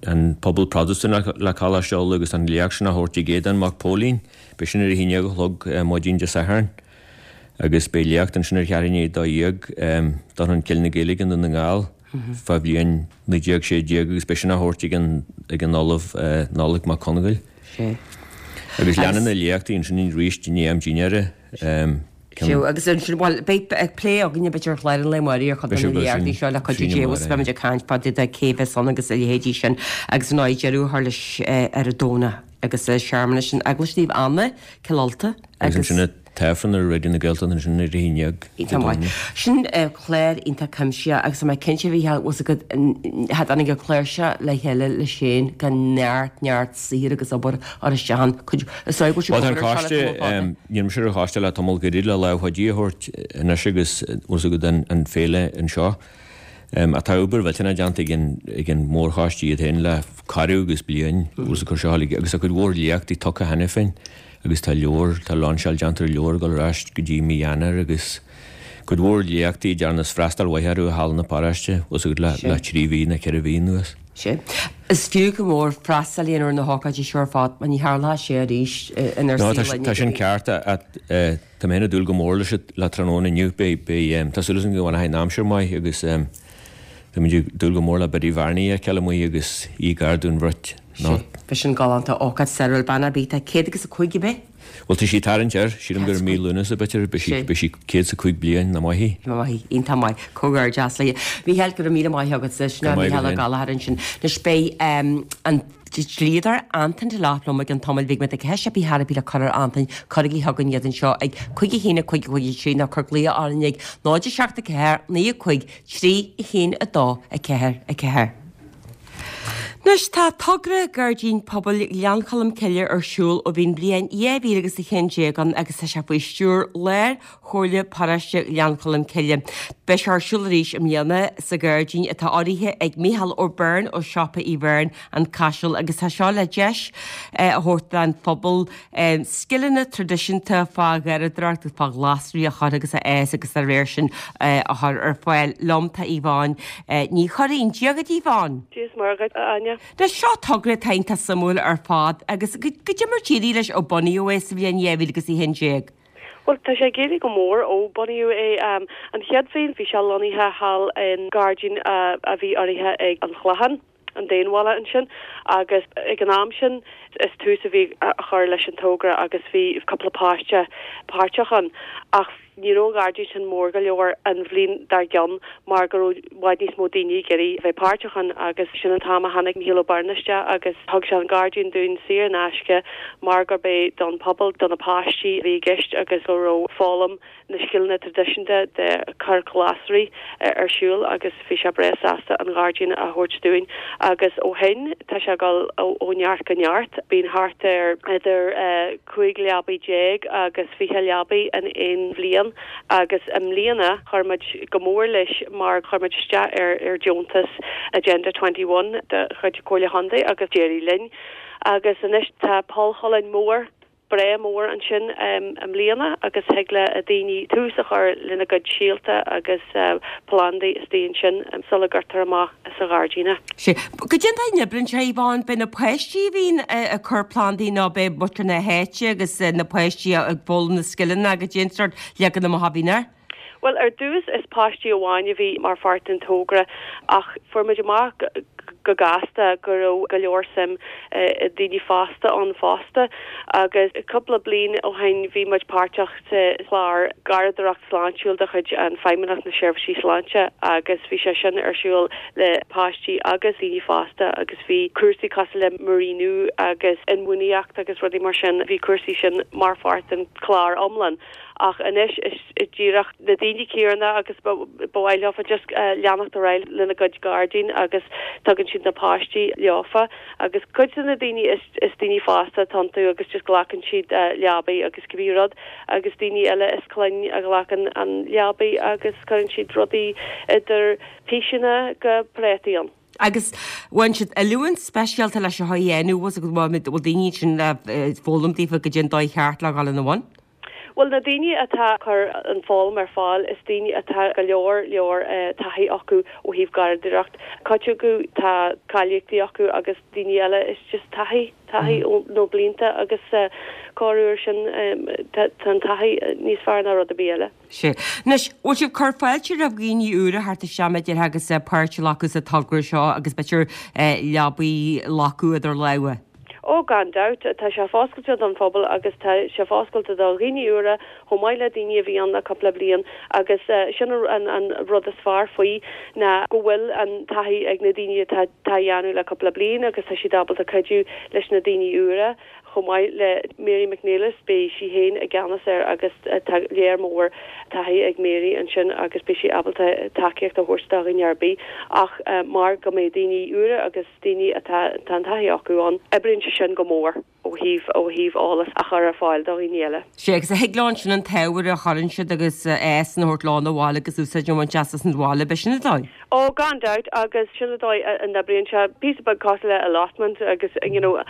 an pobal Protastúnach le Coláiste Uladh agus an léacht sin á thabhairt ag Aodán Mac Póilín, beidh sin ar a haon dhéag a chlog maidin Dé Sathairn. Agus beidh léacht ansin ar cheathrú i ndiaidh 12 Dorchán Cill na Gaeilge i nDún na nGall fá bhliain 1916 agus beidh sin á thabhairt ag an ag an Ollamh Nollaig Mac Congáil. Sea. Agus leanann na léachtaí ansin arís i ndiaidh am dinnéara. Sea, agus ansin, bhuel, beidh plé againne b'fhéidir ar chlár an lae amáirigh ar chuid de na léachtaí seo le cuidiú Dé agus beimid ag caint fá dtaobh de cé bheas ann agus a leithéidí sin agus ar ndóigh deireadh a chur leis ar an Domhnach agus searmanas in Eaglais Naomh Anna, Cill Ulta agus. Agus ansin an tAifreann ar Raidió na Gaeltachta ansin ar a haon dhéag Dé Iontach maith. Domhnaigh. Sin clár iontach cuimsitheach agus tá mé cinnte a Mhícheáil, bhfuil 's agat, cha dtáinig an clár seo le chéile leis féin gan neart, neart saothair agus obair a chur isteach ann. Cuid, is dóigh go bhfuil sibh Bhuel tá ag an obair ar seo le coiste, tamall fada. níl mise ar an choiste le tamall gairid le lámh chuidí a thabhairt anois agus bhfuil 's agat an an féile anseo. Ach tá obair mhillteanach déanta ag an ag an mórchoiste iad féin le corradh agus bliain, bhfuil 's agat cur seo agus tá cuid mhór léachtaí tugtha cheana féin. Agus tá leabhar, tá lainseáil déanta ar leabhar ag dul ar ais go dtí mí Eanáir agus cuid mhór léachtaí a ndearnas freastal mhaith orthu i halla na paróiste, bhfuil 's agat, le trí mhí nó ceithre mhí anuas. Sea. Is fiú go mór freastal a dhéanamh ar na hócáidí seo ar fad mar ní tharlóidh sé arís inár No, saol tá sin ceart ach tá mé féin ag dúil go mór leis le tráthnóna inniu. Beidh, beidh, tá súil agam go bhfanfaidh an aimsir maith agus tá muid ag dúil go mór le Biddy Bhearnaí a fheiceáil amuigh agus í gar Dún Bhruit. Sea, bheadh sin galánta, ócáid stairiúil, bean ar bith, tá 100 agus 5 ab é? Bhuel, tá sí ag tarraingt air, sílim gur i mí Lúnasa, b'fhéidir, beidh sí, beidh sí 105 bliain ná maith í. Ná maith í, iontach maith, comhghairdeas léi. Mícheál, go raibh míle maith agat, sin é Mícheál Ó Gallchóir ansin. Anois beidh an dlíodóir Antain de Lop liom i gceann tamaill bhig, má tá ceist ar bith ar bith le cur ar Antain, cuirigí chugainn iad anseo ag 5 1 5 5 3 nó cuir glaoch orainn ag 0 7 4 9 5 3 1 2 4 4. Anois tá togra Gairdín Pobail Ghleann Cholm Cille ar siúl ó bhí an bhliain 2011 ann agus tá sé faoi stiúir Lár Chomhairle Paróiste Ghleann Cholm Cille. Beidh sé ar siúl arís i mbliana sa ghairdín atá urraithe ag Mícheál Ó Beirn ó Siopa Uí Bheirn, An Caiseal agus tá seo le deis a thabhairt don phobal scileanna traidisiúnta fá gharraíodóireacht agus fá ghlasraí a chur agus a fhás agus dá réir sin a chur ar fáil. Liom tá Yvonne Ní Churraoin. Dia dhuit Yvonne. Dia is Muire dhuit, a Áine. Anois seo togra atá iontach suimiúil ar fad agus goidé mar d'éirigh leis ó bunaíodh é sa bhliain 2011. Bhuel, tá sé ag éirí go mór ó bunaíodh é. An chéad bhliain bhí sé lonnaithe thall i ngairdín a bhí urraithe ag an Chlochán. an Daonbhaile ansin agus ag an am sin is tús a bhí á chur leis an togra agus bhí cúpla páiste páirteach ann ach ní raibh an gairdín sin mór go leor an bhliain dár gcionn mar go raibh i bhfad níos mó daoine ag iarraidh a bheith páirteach ann agus sin an t-am a tháinig Mícheál Ó Beirn isteach agus thug sé an gairdín dúinn saor in aisce mar gurb é don phobal, do na páistí a bhí i gceist agus go raibh foghlaim na scileanna traidisiúnta de cur glasraí ar siúl agus bhí sé breá sásta an gairdín a thabhairt dúinn agus ó shin tá sé ag dul ó neart go neart. Bíonn thart ar idir 15 leabaidh agus 20 leabaidh in aon bhliain. bliain agus i mbliana chuir muid go mór leis mar chuir muid isteach ar ar deontas Agenda 21 de chuid Comhairle Chontae agus d'éirigh linn agus anois tá poll cholainn mór breá mór ansin i mbliana agus thig le daoine tús a chur lena gcuid síolta agus plandaí istigh ansin sula gcuirtear amach sa ghairdín é. Sea. Goidé an dóigh a n-oibríonn sé, Yvonne? B'é na páistí a bhíonn ag cur plandaí nó b'é muintir na háite agus na páistí ag foghlaim na scileanna goidé an sórt leagan amach a bhíonn air? Bhuel, ar dtús is páistí amháin a bhí mar pháirt den togra ach fuair muid amach go gasta go raibh go leor suim i daoine fásta ann fosta agus cúpla bliain ó shin bhí muid páirteach sa chlár Garraíodóireacht Sláintiúil de chuid an Feidhmeannacht na Seirbhísí Sláinte agus bhí sé sin ar siúl le páistí agus daoine fásta agus bhí cúrsaí cosúil le múiríniú agus inbhuanaitheacht agus rudaí mar sin, bhí cúrsaí sin mar pháirt den chlár iomlán. Ach anois is díreach na daoine céanna agus ba mhaith leofa just leanacht ar aghaidh lena gcuid gairdín agus tugann siad na páistí leofa agus cuid de na daoine is is daoine fásta atá iontu agus just glacann siad leabaí agus cibé rud agus daoine eile is clainn a ghlacann an leabaí agus cuireann siad rudaí idir píseanna go préataí ann. Agus bhain siad oiliúint speisialta leis seo a dhéanamh, bhfuil daoine ansin le foghlaim daofa goidé an dóigh cheart le dhul ina bhun? Bhuel, na daoine atá ag cur an foghlaim ar fáil, is daoine atá go leor leor taithí acu ó thaobh garraíodóireacht. Cuid acu tá cáilíochtaí acu agus daoine eile is just taithí, taithí ó na blianta agus corruair sin tá an taithí níos fearr ná rud ar bith eile. Sea. Anois, bhfuil sibh ag cur fáilte roimh dhaoine úra theacht isteach mar a déarfá agus páirt a ghlacadh sa togra seo agus b'fhéidir leabaí a ghlacadh idir lámha? Ó, gan dabht. Tá sé foscailte don phobal agus tá sé foscailte do dhaoine úra chomh maith le daoine a bhí ann le cúpla bliain agus sin an rud is fearr faoi ná go bhfuil an taithí ag na daoine atá á dhéanamh le cúpla bliain agus tá siad ábalta cuidiú leis na daoine úra chomh maith le Mary McNeilis, beidh sí féin i gceannas air agus tá léar mór taithí ag Mary ansin agus beidh sí ábalta tacaíocht a thabhairt do dhuine ar bith ach mar go mbeidh daoine úra agus daoine atá tá an taithí acu ann. Oibríonn sé sin go mór ó thaobh ó thaobh eolas a chur ar fáil do dhaoine eile. Sea, agus thig leo ansin an t-ábhar a chuireann siad agus a fhásann a thabhairt leo 'na bhaile agus úsáid a bhaint as as an bhaile, b'é sin an dóigh? Ó, gan dabht, agus sin an dóigh a n-oibríonn sé. Píosa beag cosúil le allotment agus you know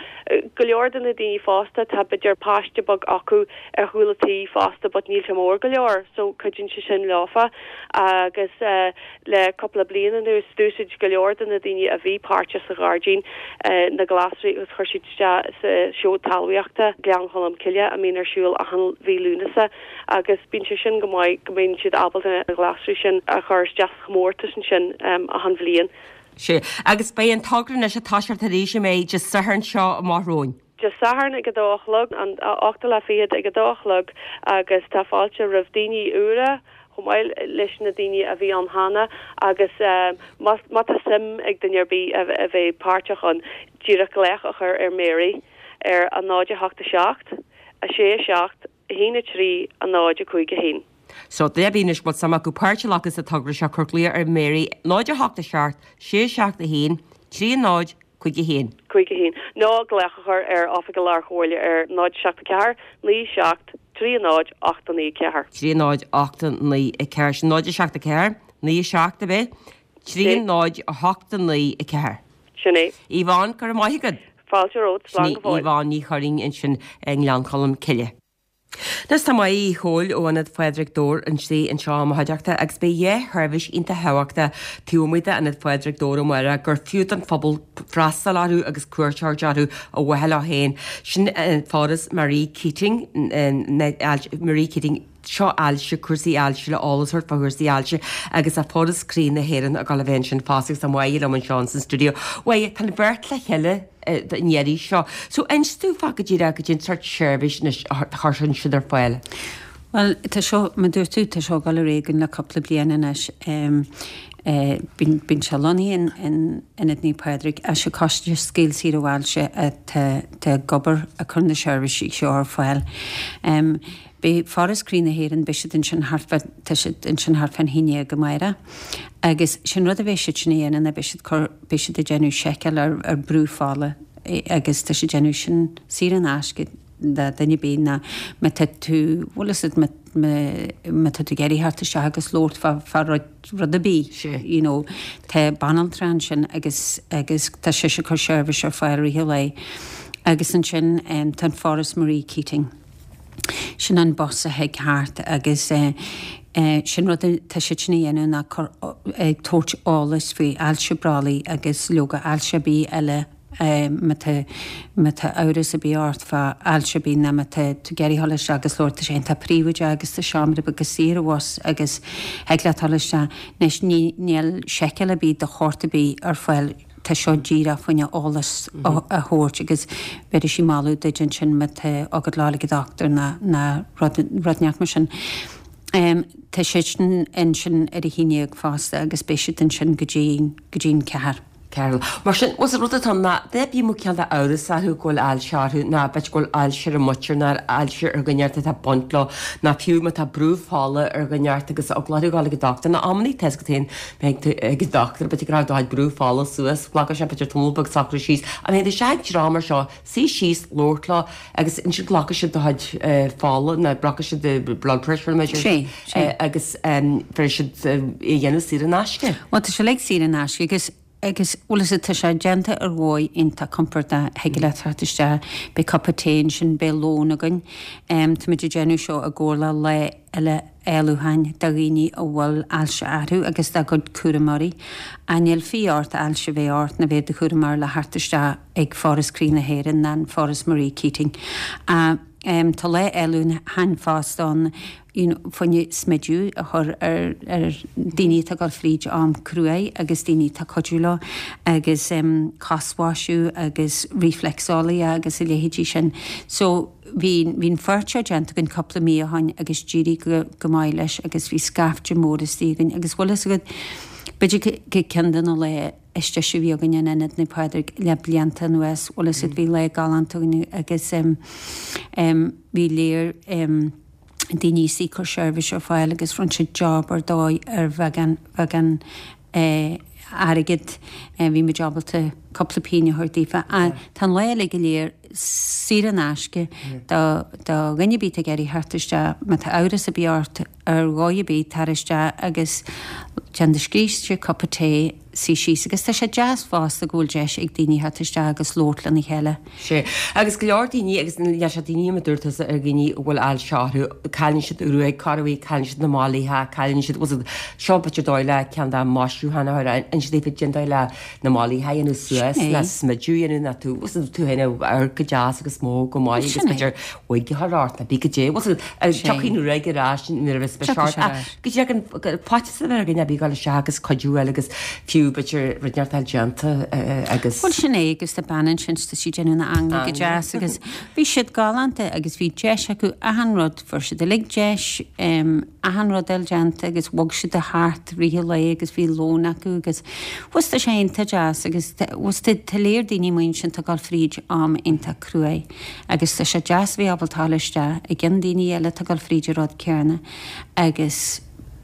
go leor de na daoine fásta tá b'fhéidir páiste beag acu ar chúl an tí fosta but níl sé mór go leor so cuidíonn sé sin leofa agus eh Le cúpla bliain anuas, d'úsáid go leor de na daoine a bhí páirteach sa ghairdín na glasraí agus chuir siad isteach sa seó talmhaíochta Gleann Cholm Cille a mbíonn ar siúl achan mhí Lúnasa agus bíonn sé sin go maith go mbíonn siad ábalta na glasraí sin a chur isteach sa chomórtas ansin achan bhliain. Sea, agus beidh an togra anois ag toiseacht arís an mbeidh Dé Sathairn seo amach romhainn. Dé Sathairn ag a dó a chlog, an ochtú lá fichead ag a dó a chlog agus tá fáilte roimh daoine úra chomh maith leis na daoine a bhí ann cheana agus má má tá suim ag duine ar bith a bheith páirteach ann, díreach glaoch a chur ar Mary ar a 0 8 7 6 7 1 3 0 5 1. So, duine ar bith anois a bhfuil suim acu páirt a ghlacadh sa togra seo, cuir glaoch ar Mary 0 8 7 6 7 1 3 0 5 1. 5 1. Nó glaoch a chur ar Oifig an Lár-Chomhairle ar 0 7 4 9 7 3 0 8 9 4. 3 0 8 9 4. Sin 0 7 4 9 7 ab é? 3 0 8 9 4. Sin é. Yvonne, go raibh maith agat. Fáilte romhat, Sin slán í go fóill. Yvonne Ní Churraoin ansin i nGleann Cholm Cille. Anois tá Máire Uí Chomhaill ó Ionad Phádraig Dobhair istigh anseo i mo chuideachta agus beidh dhá sheirbhís iontach thábhachtach taobh amuigh d'Ionad Phádraig Dobhair amárach gur fiú don phobal freastal orthu agus cuairt a thabhairt orthu ar mhaithe leo féin. Sin Foras Marie Keating, Marie Keating, seo ailse, cúrsaí ailse le eolas a thabhairt fá chúrsaí ailse agus tá Foras Croí na hÉireann ag dul a bheith ansin fosta agus tá Máire liom anseo ins an stiúideo. Máire, tá an bheirt le chéile an iarraidh seo. So inis domh fá go díreach goidé an sórt seirbhís anois a chuireann siad ar fáil. Bhuel, tá seo, mar dúirt tú, tá seo ag dul ar aghaidh againn le cúpla bliain anois. Bíonn, bíonn sé lonnaithe in Ionad Naomh Pádraig. Is é Coiste Scaoll Saor ó Ailse atá ag obair ag cur na seirbhísí seo ar fáil. Beidh Foras Croí na hÉireann, beidh siad ansin thart fá, tá siad ansin thart fán haon dhéag amárach. Agus sé'n rud a bheidh siad sin a dhéanamh ná beidh siad cur, beidh siad ag déanamh seiceáil ar, ar brú fola agus tá siad ag déanamh sin saor in aisce. do dhuine ar bith ná má tá tú, bhfuil fhios agat, má tá tú ag iarraidh theacht isteach agus labhairt fá, fá rud, rud ar bith, you know, tá banaltra ansin agus, agus tá sise ag cur seirbhís ar fáil i rith an lae. Agus ansin tá an Foras Marie Keating. Sin an bus a thig thart agus sin rud atá siad sin a dhéanamh ná cur, ag tabhairt eolas faoi ailse brollaigh agus leoga ailse ar bith eile má tá, má tá amhras ar bith ort fá ailse ar bith ná má tá tú ag iarraidh dhul isteach agus labhairt tá sé iontach príobháideach agus tá seomra beag saor abhus agus thig leat dhul isteach. Anois ní, níl seiceáil ar bith de shórt ar bith ar fáil tá seo díreach fá choinne eolas a thabhairt agus bhéarfaidh sí moladh duit ansin má tá agat le dhul ag an dochtúir ná ná rud rud inteacht mar sin. Tá siad sin ansin ar a haon dhéag fosta agus beidh siad ansin go dtí go dtí an ceathair. Carol. Mar sin, bhuel, an rud atá ann ná, duine ar bith a mbeadh cineál d'amhras orthu go bhfuil ailse orthu, ná b'fhéidir go bhfuil ailse ar a muintir ná ailse ar dhuine inteacht atá ag baint leo, ná fiú má tá brú fola ar dhuine inteacht agus eagla orthu dhul ag an dochtúir, ná amannaí tá fhios agat féin, má théann tú ag an dochtúir, b'fhéidir go raibh do chuid brú fola suas, glacfaidh sé b'fhéidir tamall beag socrú síos, ach má théann tú isteach ag dream mar seo, suí síos, labhairt leo agus ansin glacfaidh siad do chuid fola nó glacfaidh siad do blood pressure measures Sé, sé. agus bhéarfaidh siad é a dhéanamh saor in aisce. Bhuel tá sé uilig saor in aisce agus agus bhfuil fhios agat tá sé déanta ar dhóigh iontach compordach thig leat theacht isteach, beidh cupa tae ansin, beidh lón againn. Táimid ag déanamh seo i gcomhar le Lá Uile Éalúcháin do dhaoine a bhfuil ailse orthu agus dá gcuid cúramóirí. Ach níl fiú ort ailse a bheith ort ná bheith i do chúramóir le theacht isteach ag Foras Croí na hÉireann ná an Foras Marie Keating. Tá Lá Éalúcháin fosta ann you know fá choinne smideadh a chur ar ar daoine atá ag dul fríd am cruaidh agus daoine atá ag cuidiú leo agus cosmhaisiú agus reflexology agus a leithéidí sin. So bhí bhí an pháirt seo déanta againn cúpla mí ó shoin agus d'éirigh go go maith leis agus bhí scaifte mór istigh againn agus bhfuil fhios agat b'fhéidir go ceann de na laetha is deise a bhí againn in Ionad Naomh Pádraig le blianta anuas. Bhfuil fhios agat bhí lá galánta againn agus bhí léir daoine istigh ag cur seirbhís ar fáil agus rinne siad job ar dóigh ar bheagán bheagán airgead. Bhí muid ábalta cúpla pingin a thabhairt daofa. Tá an lá uilig go léir saor in aisce do do dhuine ar bith atá ag iarraidh theacht isteach má tá amhras ar bith ort ar dhóigh ar bith, tar isteach agus déan do scríste, cupa tae, suí síos. Agus tá sé deas fosta go bhfuil deis ag daoine theacht isteach agus labhairt lena chéile. Sea. Agus go leor daoine, agus níl sé daoine mar a dúirt tusa ar dhaoine a bhfuil ailse orthu, cailleann siad ruaig, corruair, cailleann siad na mailíocha, cailleann siad, bhfuil fhios agat, seo b'fhéidir dóigh le ceann dá maisiúchán a chur, ansin daofa déan dóigh le na mailíocha a dhéanamh suas, Sin é. ná smideadh a dhéanamh, ná tú, bhfuil fhios agat, tú féin a amharc go deas agus mór go maith Sin agus é. b'fhéidir wig a chur ort, ná bí go dté, bhfuil fhios agat, Sin. tiocfaidh an ruaig ar ais nuair a bheas Tiocfaidh short, sé ar ais. go dtí an faitíos a bheith ar dhuine ar bith dul isteach agus cuidiú a fháil agus fiú b'fhéidir rud inteacht a fháil déanta agus. Bhuel sin é agus tá bean ansin tá sí ag déanamh na hanlaí go deas agus bhí siad galánta agus bhí deis acu achan rud, fuair siad uilig deis achan rud a fháil déanta agus bhog siad thart i rith an lae agus bhí lón acu agus bhfuil tá sé iontach deas agus bhfuil tá tá léir daoine amuigh ansin atá ag dul fríd am iontach cruaidh agus tá sé deas a bheith ábalta dul isteach i gcionn daoine eile atá ag dul fríd an rud céanna agus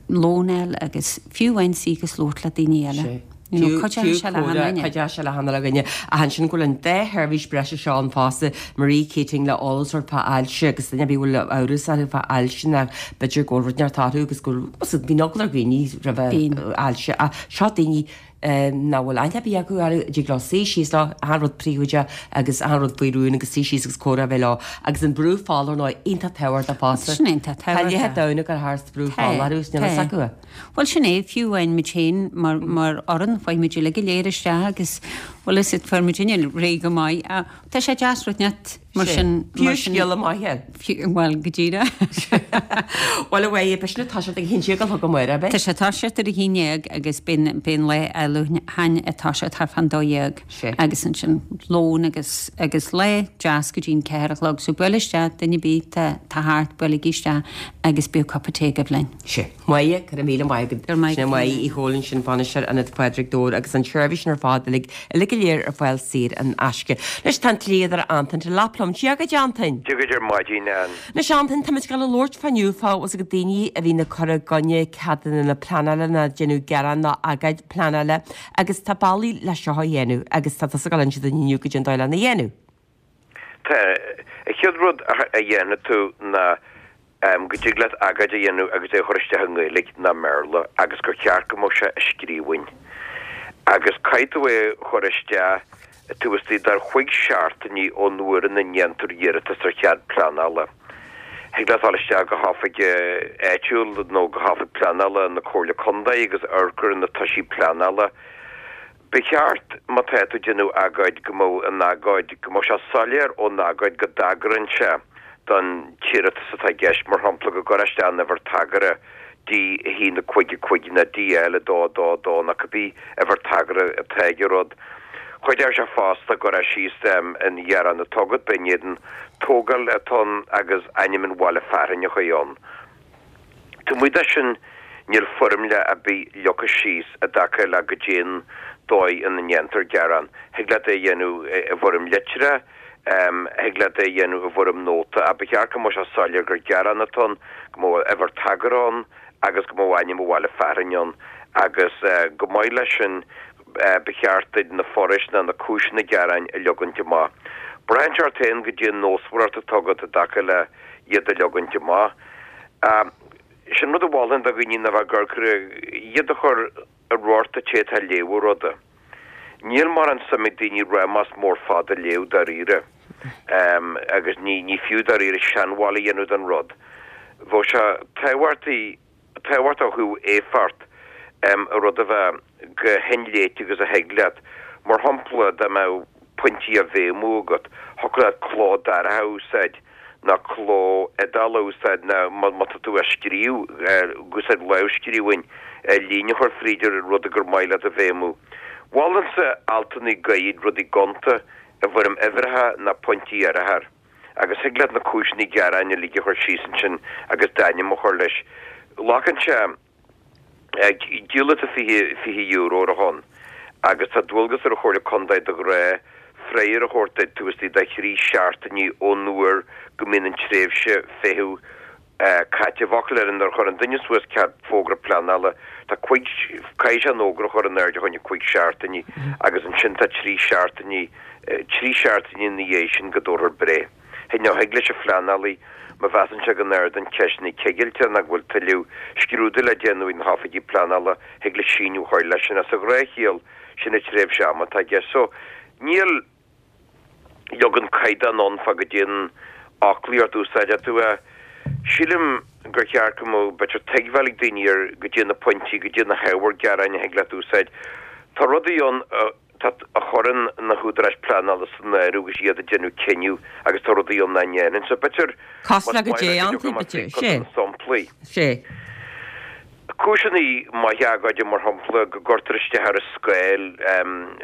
lón a fháil agus fiú amháin suí agus labhairt le daoine eile. Sea. You know, Fiú cuideoidh sé le comhrá, achan duine. cuideoidh sé le achan duine. Ach ansin go bhfuil an dá sheirbhís breise seo ann fosta, Marie Keating le eolas a thabhairt fá ailse agus duine ar bith a bhfuil amhras orthu fá ailse nó b'fhéidir go bhfuil rud inteacht orthu agus go bhfuil, bíonn eagla ar dhaoine roimh ailse ach seo daoine nach bhfuil aithne ar bith acu orthu, a dtig leo suí síos leo, achan rud príobháideach agus achan rud faoi rún agus suí síos agus comhrá a bheith leo. Agus an brú fola ar ndóigh, iontach tábhachtach fosta. Sin iontach Tá leithéid tábhachtach. domhan ag dul thart brú Tá, fola orthu is níl fhios tá. acu é. Bhuel sin é, fiú amháin muid féin mar, mar fhoireann, chuaigh muid uilig go léir isteach agus bhfuil fhios agat fuair muidinne réidh go maith. Tá sé deas rud inteacht mar sin, Fiú mar sin. scéala maith é. Fiú, bhuel, go díreach. Bhuel, a Mháire, beidh sin ag toiseacht ag a haon déag a chlog amárach, ab é? Tá sé ag toiseacht ar a haon dhéag agus beidh an lá éalúcháin ag toiseacht thart fán dó dhéag agus ansin lón agus agus lá deas go dtí an ceathair a chlog. So buail isteach, duine ar bith tá tá thart, buailigí isteach agus bíodh cupa tae agaibh linn. Sea. Máire, go raibh míle maith agat. Go raibh maith Sin agat. Máire Uí Chóilín, sin bainisteoir Ionad Phádraig Dobhair agus an tseirbhís sin ar fad uilig, uilig go léir ar fáil saor in aisce. Anois tá an dlíodóir Antain Delap liom. Dia dhuit Antain. Dia dhuit ar maidin, Ann. Anois Antain, táimid ag dul a labhairt fá inniu fá bhfuil fhios agat daoine a bhíonn ag cur i gcoinne ceadanna na pleanála ná déanamh gearán ná agóid pleanála agus tá bealaí le seo a dhéanamh agus tá tusa ag dul a inse dúinn inniu goidé an dóigh lena dhéanamh. Tá, an chéad rud a dhéanfaidh tú ná go dtig leat agóid a dhéanamh agus é a chur isteach i nGaeilge nó i mBéarla agus gur cheart go mbeadh sé i scríbhinn. Agus caithfidh tú é a chur isteach taobh istigh de chúig seachtainí ón uair ina ndéantar iarratas ar chead pleanála. Thig leat dul isteach go hoifig áitiúil nó go hoifig pleanála na Comhairle Contae agus amharc ar na toisí pleanála. Ba cheart, má tá tú ag déanamh agóid, go mbeadh an agóid, go mbeadh sé soiléir ón agóid go dtagraíonn sé don t-iarratas atá i gceist, mar shampla, go gcuirfeá isteach an uimhir tagartha D1 5 5 nó DL 2 2 2 nó cibé uimhir tagartha atá ag an rud. Chuideodh sé fosta go gcuirfeá síos an gearán atá agat, b'é in éadan tógáil atá ann agus ainm an bhaile fearainn a chuir ann. Taobh amuigh de sin, níl foirmle ar bith leagtha síos i dtaca le goidé an dóigh ina ndéantar gearán. Thig leat é a dhéanamh i bhfoirm litreach, Thig leat é a dhéanamh i bhfoirm nóta ach ba cheart go mbeadh sé soiléir gur gearán atá ann, go mbeadh uimhir tagartha ann agus go mbeadh ainm an bhaile fearainn ann agus chomh maith leis sin ba cheart duit na forais nó na cúiseanna gearáin a leagaint amach. Braitheann sé ort féin goidé an nósmhaireacht atá agat i dtaca le iad a leagaint amach. Sin rud a mholfainn do dhaoine ná bheith ag amharc ar iad a chur i radharc an té atá ag léamh an ruda. Níl mórán suim ag daoine rámás mór fada a léamh dáiríre, agus ní ní fiú dáiríre seanmháil a dhéanamh den rud. Bheadh sé tábhachtaí, tábhachtach ó thaobh éifeacht, an rud a bheith chomh hinléite agus a thig leat. Mar shampla, dá mbeadh pointí á bhéimiú agat, thiocfadh leat cló dorcha a úsáid. nó cló iodálach a úsáid nó má tá tú á scríobh, ag úsáid lámhscríbhinn, líne a chur fríd ar rud gur maith leat a bhéimiú. Mholfainnse altanna gairid, rudaí gonta, i bhfoirm uimhreacha nó pointí áirithe. Agus thig leat na cúiseanna gearáin uilig a chur síos ansin agus d'ainm a chur leis. Glacann sé. Díolfaidh tú €20 ar a shon agus tá dualgas ar an Chomhairle Contae de ghnáth freagra a thabhairt duit taobh istigh de thrí seachtainí ón uair go mbíonn an tréimhse feithimh caite. I bhfocail eile, nuair a chuireann duine suas cead fógra pleanála, tá cuig, caithfidh sé an fhógra a chur in airde fá choinne cuig seachtainí agus ansin tá trí seachtainí, trí seachtainí ina dhiaidh sin go dtabharfar breith. Nó thig leis an phleanálaí, má mheasann sé go n-ardaíonn ceisteanna cigilte nó go bhfuil tuilleadh scrúdú le déanamh ag na hoifigigh pleanála, thig leis síneadh a chur leis sin. Ach sa ghnáthchiall, sin an tréimhse ama atá i gceist. So, níl leagan caighdeán ann fá goidé an fhoclaíocht a úsáidfidh tú. Sílim gur cheart go mbeadh b'fhéidir tuigbheáil ag daoine ar goidé na pointí, goidé na hábhair gearáin a thig leat úsáid. Tá rudaí ann a. Tá a chuireann na húdaráis pleanála san áireamh agus iad ag déanamh cinneadh agus tá rudaí ann nach ndéanann. So b'fhéidir Cosúil le goidé iontu, b'fhéidir. Sé. Samplaí. Sé. Cúiseanna maithe agóide mar shampla go gcuirtear isteach ar an scáil,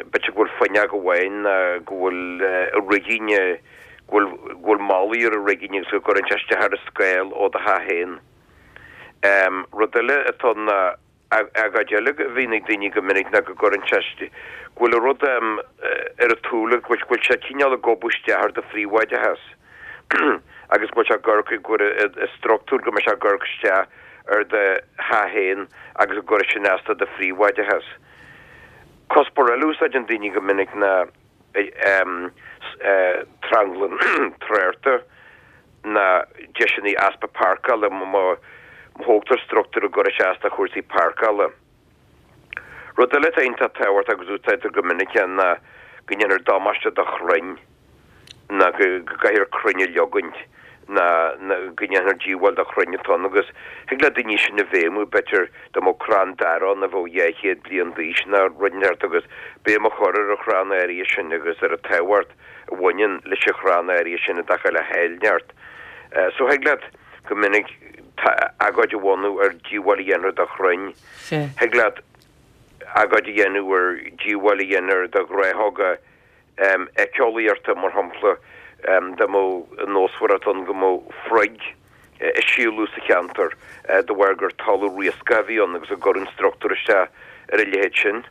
b'fhéidir go bhfuil fuinneog amháin nó go bhfuil righin, go bhfuil go bhfuil malaí ar an righin agus go gcuireann sé isteach ar an scáil ó do theach féin. Rud eile atá ann ná Agóid eile a bhíonn ag daoine go minic ná go gcuireann sé, go bhfuil an rud ar an tsúil, go bhfuil sé cineál ag gobadh isteach ar do phríobháideachas agus go bhfuil sé ag amharc, go bhfuil an struchtúr, go mbeidh sé ag amharc isteach ar do theach féin agus go gcuirfidh sin as do do phríobháideachas. Cuspóir eile a úsáideann daoine go minic ná tranglam tráchta. ná deiseanna easpa páirceála má thógtar struchtúr a gcuirfidh sé as do chúrsaí páirceála. Rud eile atá iontach tábhachtach agus úsáidtear go minic é ná go ndéanfar damáiste do chrainn ná go gcaithfear crainn a leogaint ná go ndéanfar díobháil do chrainn atá ann agus thig le daoine sin a bhéimiú, b'fhéidir dá mbeadh crann dara ann a bheadh 200 bliain d'aois ná rud inteacht agus béim a chur ar an chrann áirithe sin agus ar an tábhacht a bhaineann leis an chrann áirithe sin i dtaca le háilneacht. So thig leat go minic agóid a bhunú ar díobháil a dhéanfar do chrainn. Thig leat agóid a dhéanamh ar díobháil a dhéanfar do ghnáthóga éiceolaíochta, mar shampla, dá mbeadh nósmhaireacht ann go mbeadh froig ag síolrú sa cheantar de bharr gur talamh riascach a bhí ann agus go gcuireann struchtúr isteach ar a leithéid sin.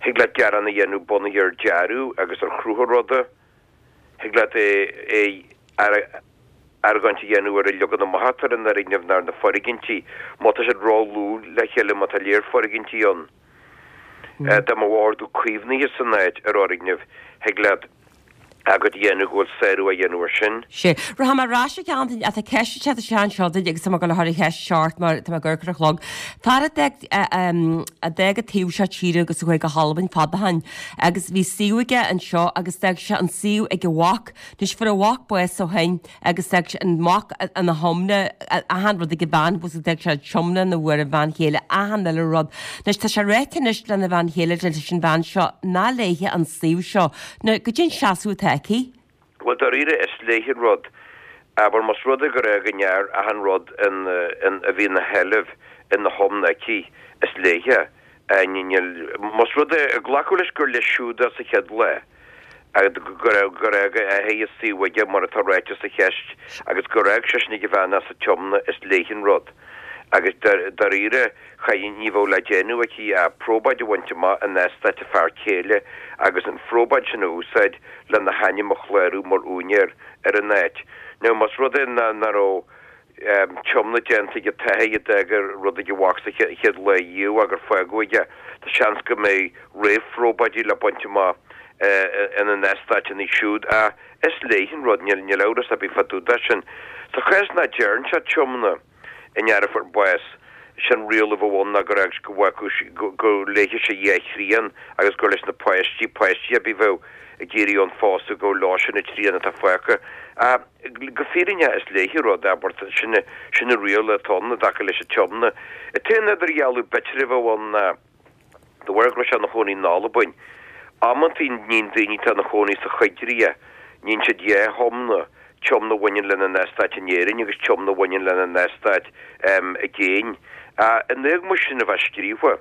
Thig leat gearán a dhéanamh bunaithe ar dearadh agus ar chruth an ruda. Thig leat é argóint a dhéanamh ar an leagan amach atá ar an fhoirgneamh nó ar na foirgintí, má tá siad ródhlúth le chéile, má tá léar foirgintí ann. Dá mbeadh ordú caomhnaithe san áit ar fhoirgneamh, thig leat. Agóid a dhéanamh go bhfuil sárú á dhéanamh air sin. Sea. Rachaidh mé ar ais a Antaine, ach tá ceist ag teacht isteach anseo duit agus tá mé ag dul a chur an cheist seo ort mar tá mé ag amharc ar an chlog. Fear a d'fhág a d'fhág an taobh seo tíre agus a chuaigh go hAlbain fada ó shin agus bhí suíomh aige anseo agus d'fhág sé an suíomh ag a mhac. Anois fuair a mhac bás ó shin agus d'fhág sé an mac ina thiomna, achan rud ag a bhean, agus d'fhág sé an tiomna ina bhfuair an bhean chéile achan uile rud. Anois tá sé ráite anois lena bhean chéile, leis an bhean seo, nach léithe an suíomh seo. Now, goidé an seasamh atá aici? Bhuel, dáiríre, is léithe an rud. Abair, más rud é gur fhág an fhear achan rud in, a bhí ina sheilbh ina thiomna aici, is léithe. Níl, más rud é, glacadh leis gur leis siúd é sa chéad lá, gur fhág a athair an suíomh aige, mar atá ráite sa cheist, agus gur fhág seisean ag a bhean é sa tiomna, is léithe an rud. Agus dáiríre, cha, ní bheadh le déanamh aici ach probáid a bhaint amach in eastát a fear céile agus an phróbáid sin a úsáid lena hainm a chlárú mar úinéir ar an áit. Now, más rud é nach raibh tiomna déanta ag an t-athair a d'fhág an rud ag a mhac sa chéad lá riamh ach gur fágadh aige, tá seans go mbeidh réamhphróbáidí le baint amach ina n-eastáiteanna siúd. Ach is léithe an rud, níl amhras ar bith fá dtaobh de sin. Sa chás nach dtearn sé tiomna i ndear a fuair bás, sin riail a bheadh ann ná gur fhág go bhfágfadh sí, go léifeadh sé dhá thrian agus gur leis na páistí, páistí ar bith a bheadh ag iarraidh ann phósadh, gur leo sin an trian atá fágtha. Ach go fírinneach is léithe an rud, abair, sin, sin an riail atá ann i dtaca leis an tiomna. An t-aon idirdhealú b'fhéidir a bheadh ann ná, De bharr go raibh sé ina chónaí in Albain, amantaí níonn daoine atá ina chónaí sa choigríoch, níonn siad dhá thiomna, tiomna a bhaineann lena n-eastát in Éirinn agus tiomna a bhaineann lena n-eastát i gcéin. In éagmais sin a bheith scríofa,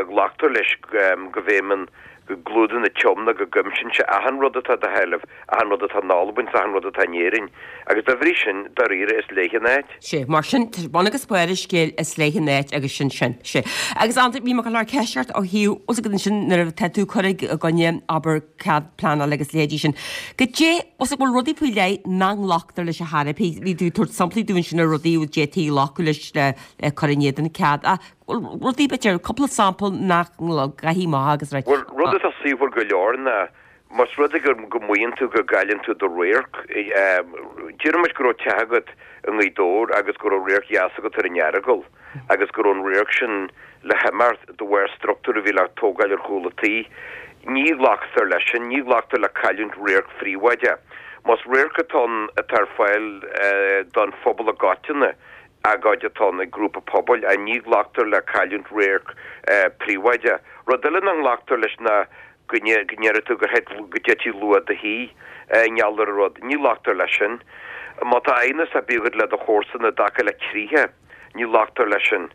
glactar leis go bhfeidhmeann, go gclúdaíonn an tiomna, go gcuimsíonn sé achan rud atá i do sheilbh, achan rud atá in Albain 's achan rud atá in Éirinn. Agus dá bhrí sin, dáiríre, is léithe an áit. Sea, mar sin, bun agus barr an scéil, is léithe an áit agus sin sin. Sea. Agus Antaine, bhí mé ag dul a chur ceist ort ó thaobh, bhfuil 's agat ansin nuair atá tú ag cur i gcoinne, abair, cead pleanála agus leithéidí sin, goidé, bhfuil 's agat, bhfuil rudaí faoi leith nach nglactar leis ar chor ar bith? Bhí tú ag tabhairt samplaí dúinn ansin ar rudaí a d'fhéadfaí glacadh leis le cur in éadan cead. Ach bhfuil rudaí, b'fhéidir, cúpla sampla nach gcaithfidh amach agus right. Bhuel, rud atá saoithiúil go leor ná Más rud é go maíonn tú go gcailleann tú do radharc, déarfaidh muid go raibh teach agat i nGaoth Dobhair agus go raibh radharc dheas agat ar an Earagail agus go raibh an radharc sin le himeacht de bharr struchtúr a bhí le tógáil ar chúl an tí. Ní ghlactar leis sin, ní ghlactar le cailliúint radharc phríobháideach. Más radharc atá ann atá ar fáil don phobal i gcoitinne, agóid atá ann ag grúpa pobail, ní ghlactar le cailliúint radharc príobháideach. Rud eile nach nglactar leis ná go ndéarfaidh tú gur thit, go dtitfidh luach do thí i ngeall ar an rud. Ní ghlactar leis sin. Má tá aighneas ar bith agat le do chomharsana i dtaca le criathar, ní ghlactar leis sin.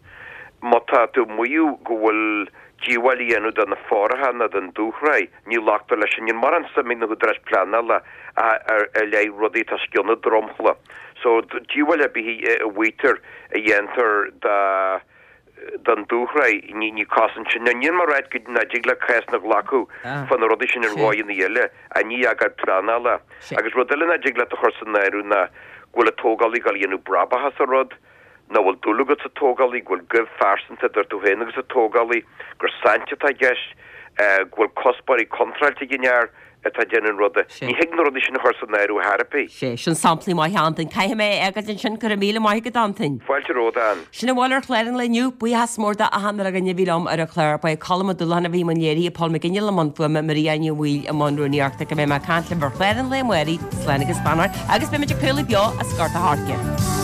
Má tá tú ag maíomh go bhfuil díobháil á dhéanamh do na fothracha nó don dúshraith, ní ghlactar leis sin. Níl mórán suim ag na húdaráis pleanála i leith rudaí atá os cionn an dromchla. So, díobháil ar bith a mhaítear a dhéantar do. don dúshraith, ní cosaint sin. Now, níl mé ag ráit go nach dtig le cásanna a ghlacadh fá na rudaí sin ar dhóigheanna eile, ach ní agóid pleanála. Agus rud eile nach dtig leat a chur san áireamh ná go bhfuil an tógálaí ag dul a dhéanamh brabach as an rud, nach bhfuil dúil agat sa tógálaí, go bhfuil goimh phearsanta idir tú féin agus an tógálaí, gur saint atá i gceist, go bhfuil cuspóirí contráilte ag an fhear atá ag déanamh an ruda. Ní thig na rudaí sin a chur san áireamh ar chor ar bith. Sea, sin samplaí maithe, Antain. Caithfidh mé é a fhágáil ansin, go raibh míle maith agat, Antain. Fáilte romhat, Ann. Sin a bhfuil ar chlár an lae inniu. Buíochas mór d'achan uile dhuine a bhí liom ar an chlár. Ba é Colm Ó Dúlacháin a bhí i mbun léirithe, Paul McGinley i mbun fuaime, Maria Ní Bhaoill i mbun rúnaíochta. Go mbeidh mé ag caint libh ar chlár an lae amárach. Slán agus beannacht agus beimid ag craoladh beo as Gort a' Choirce.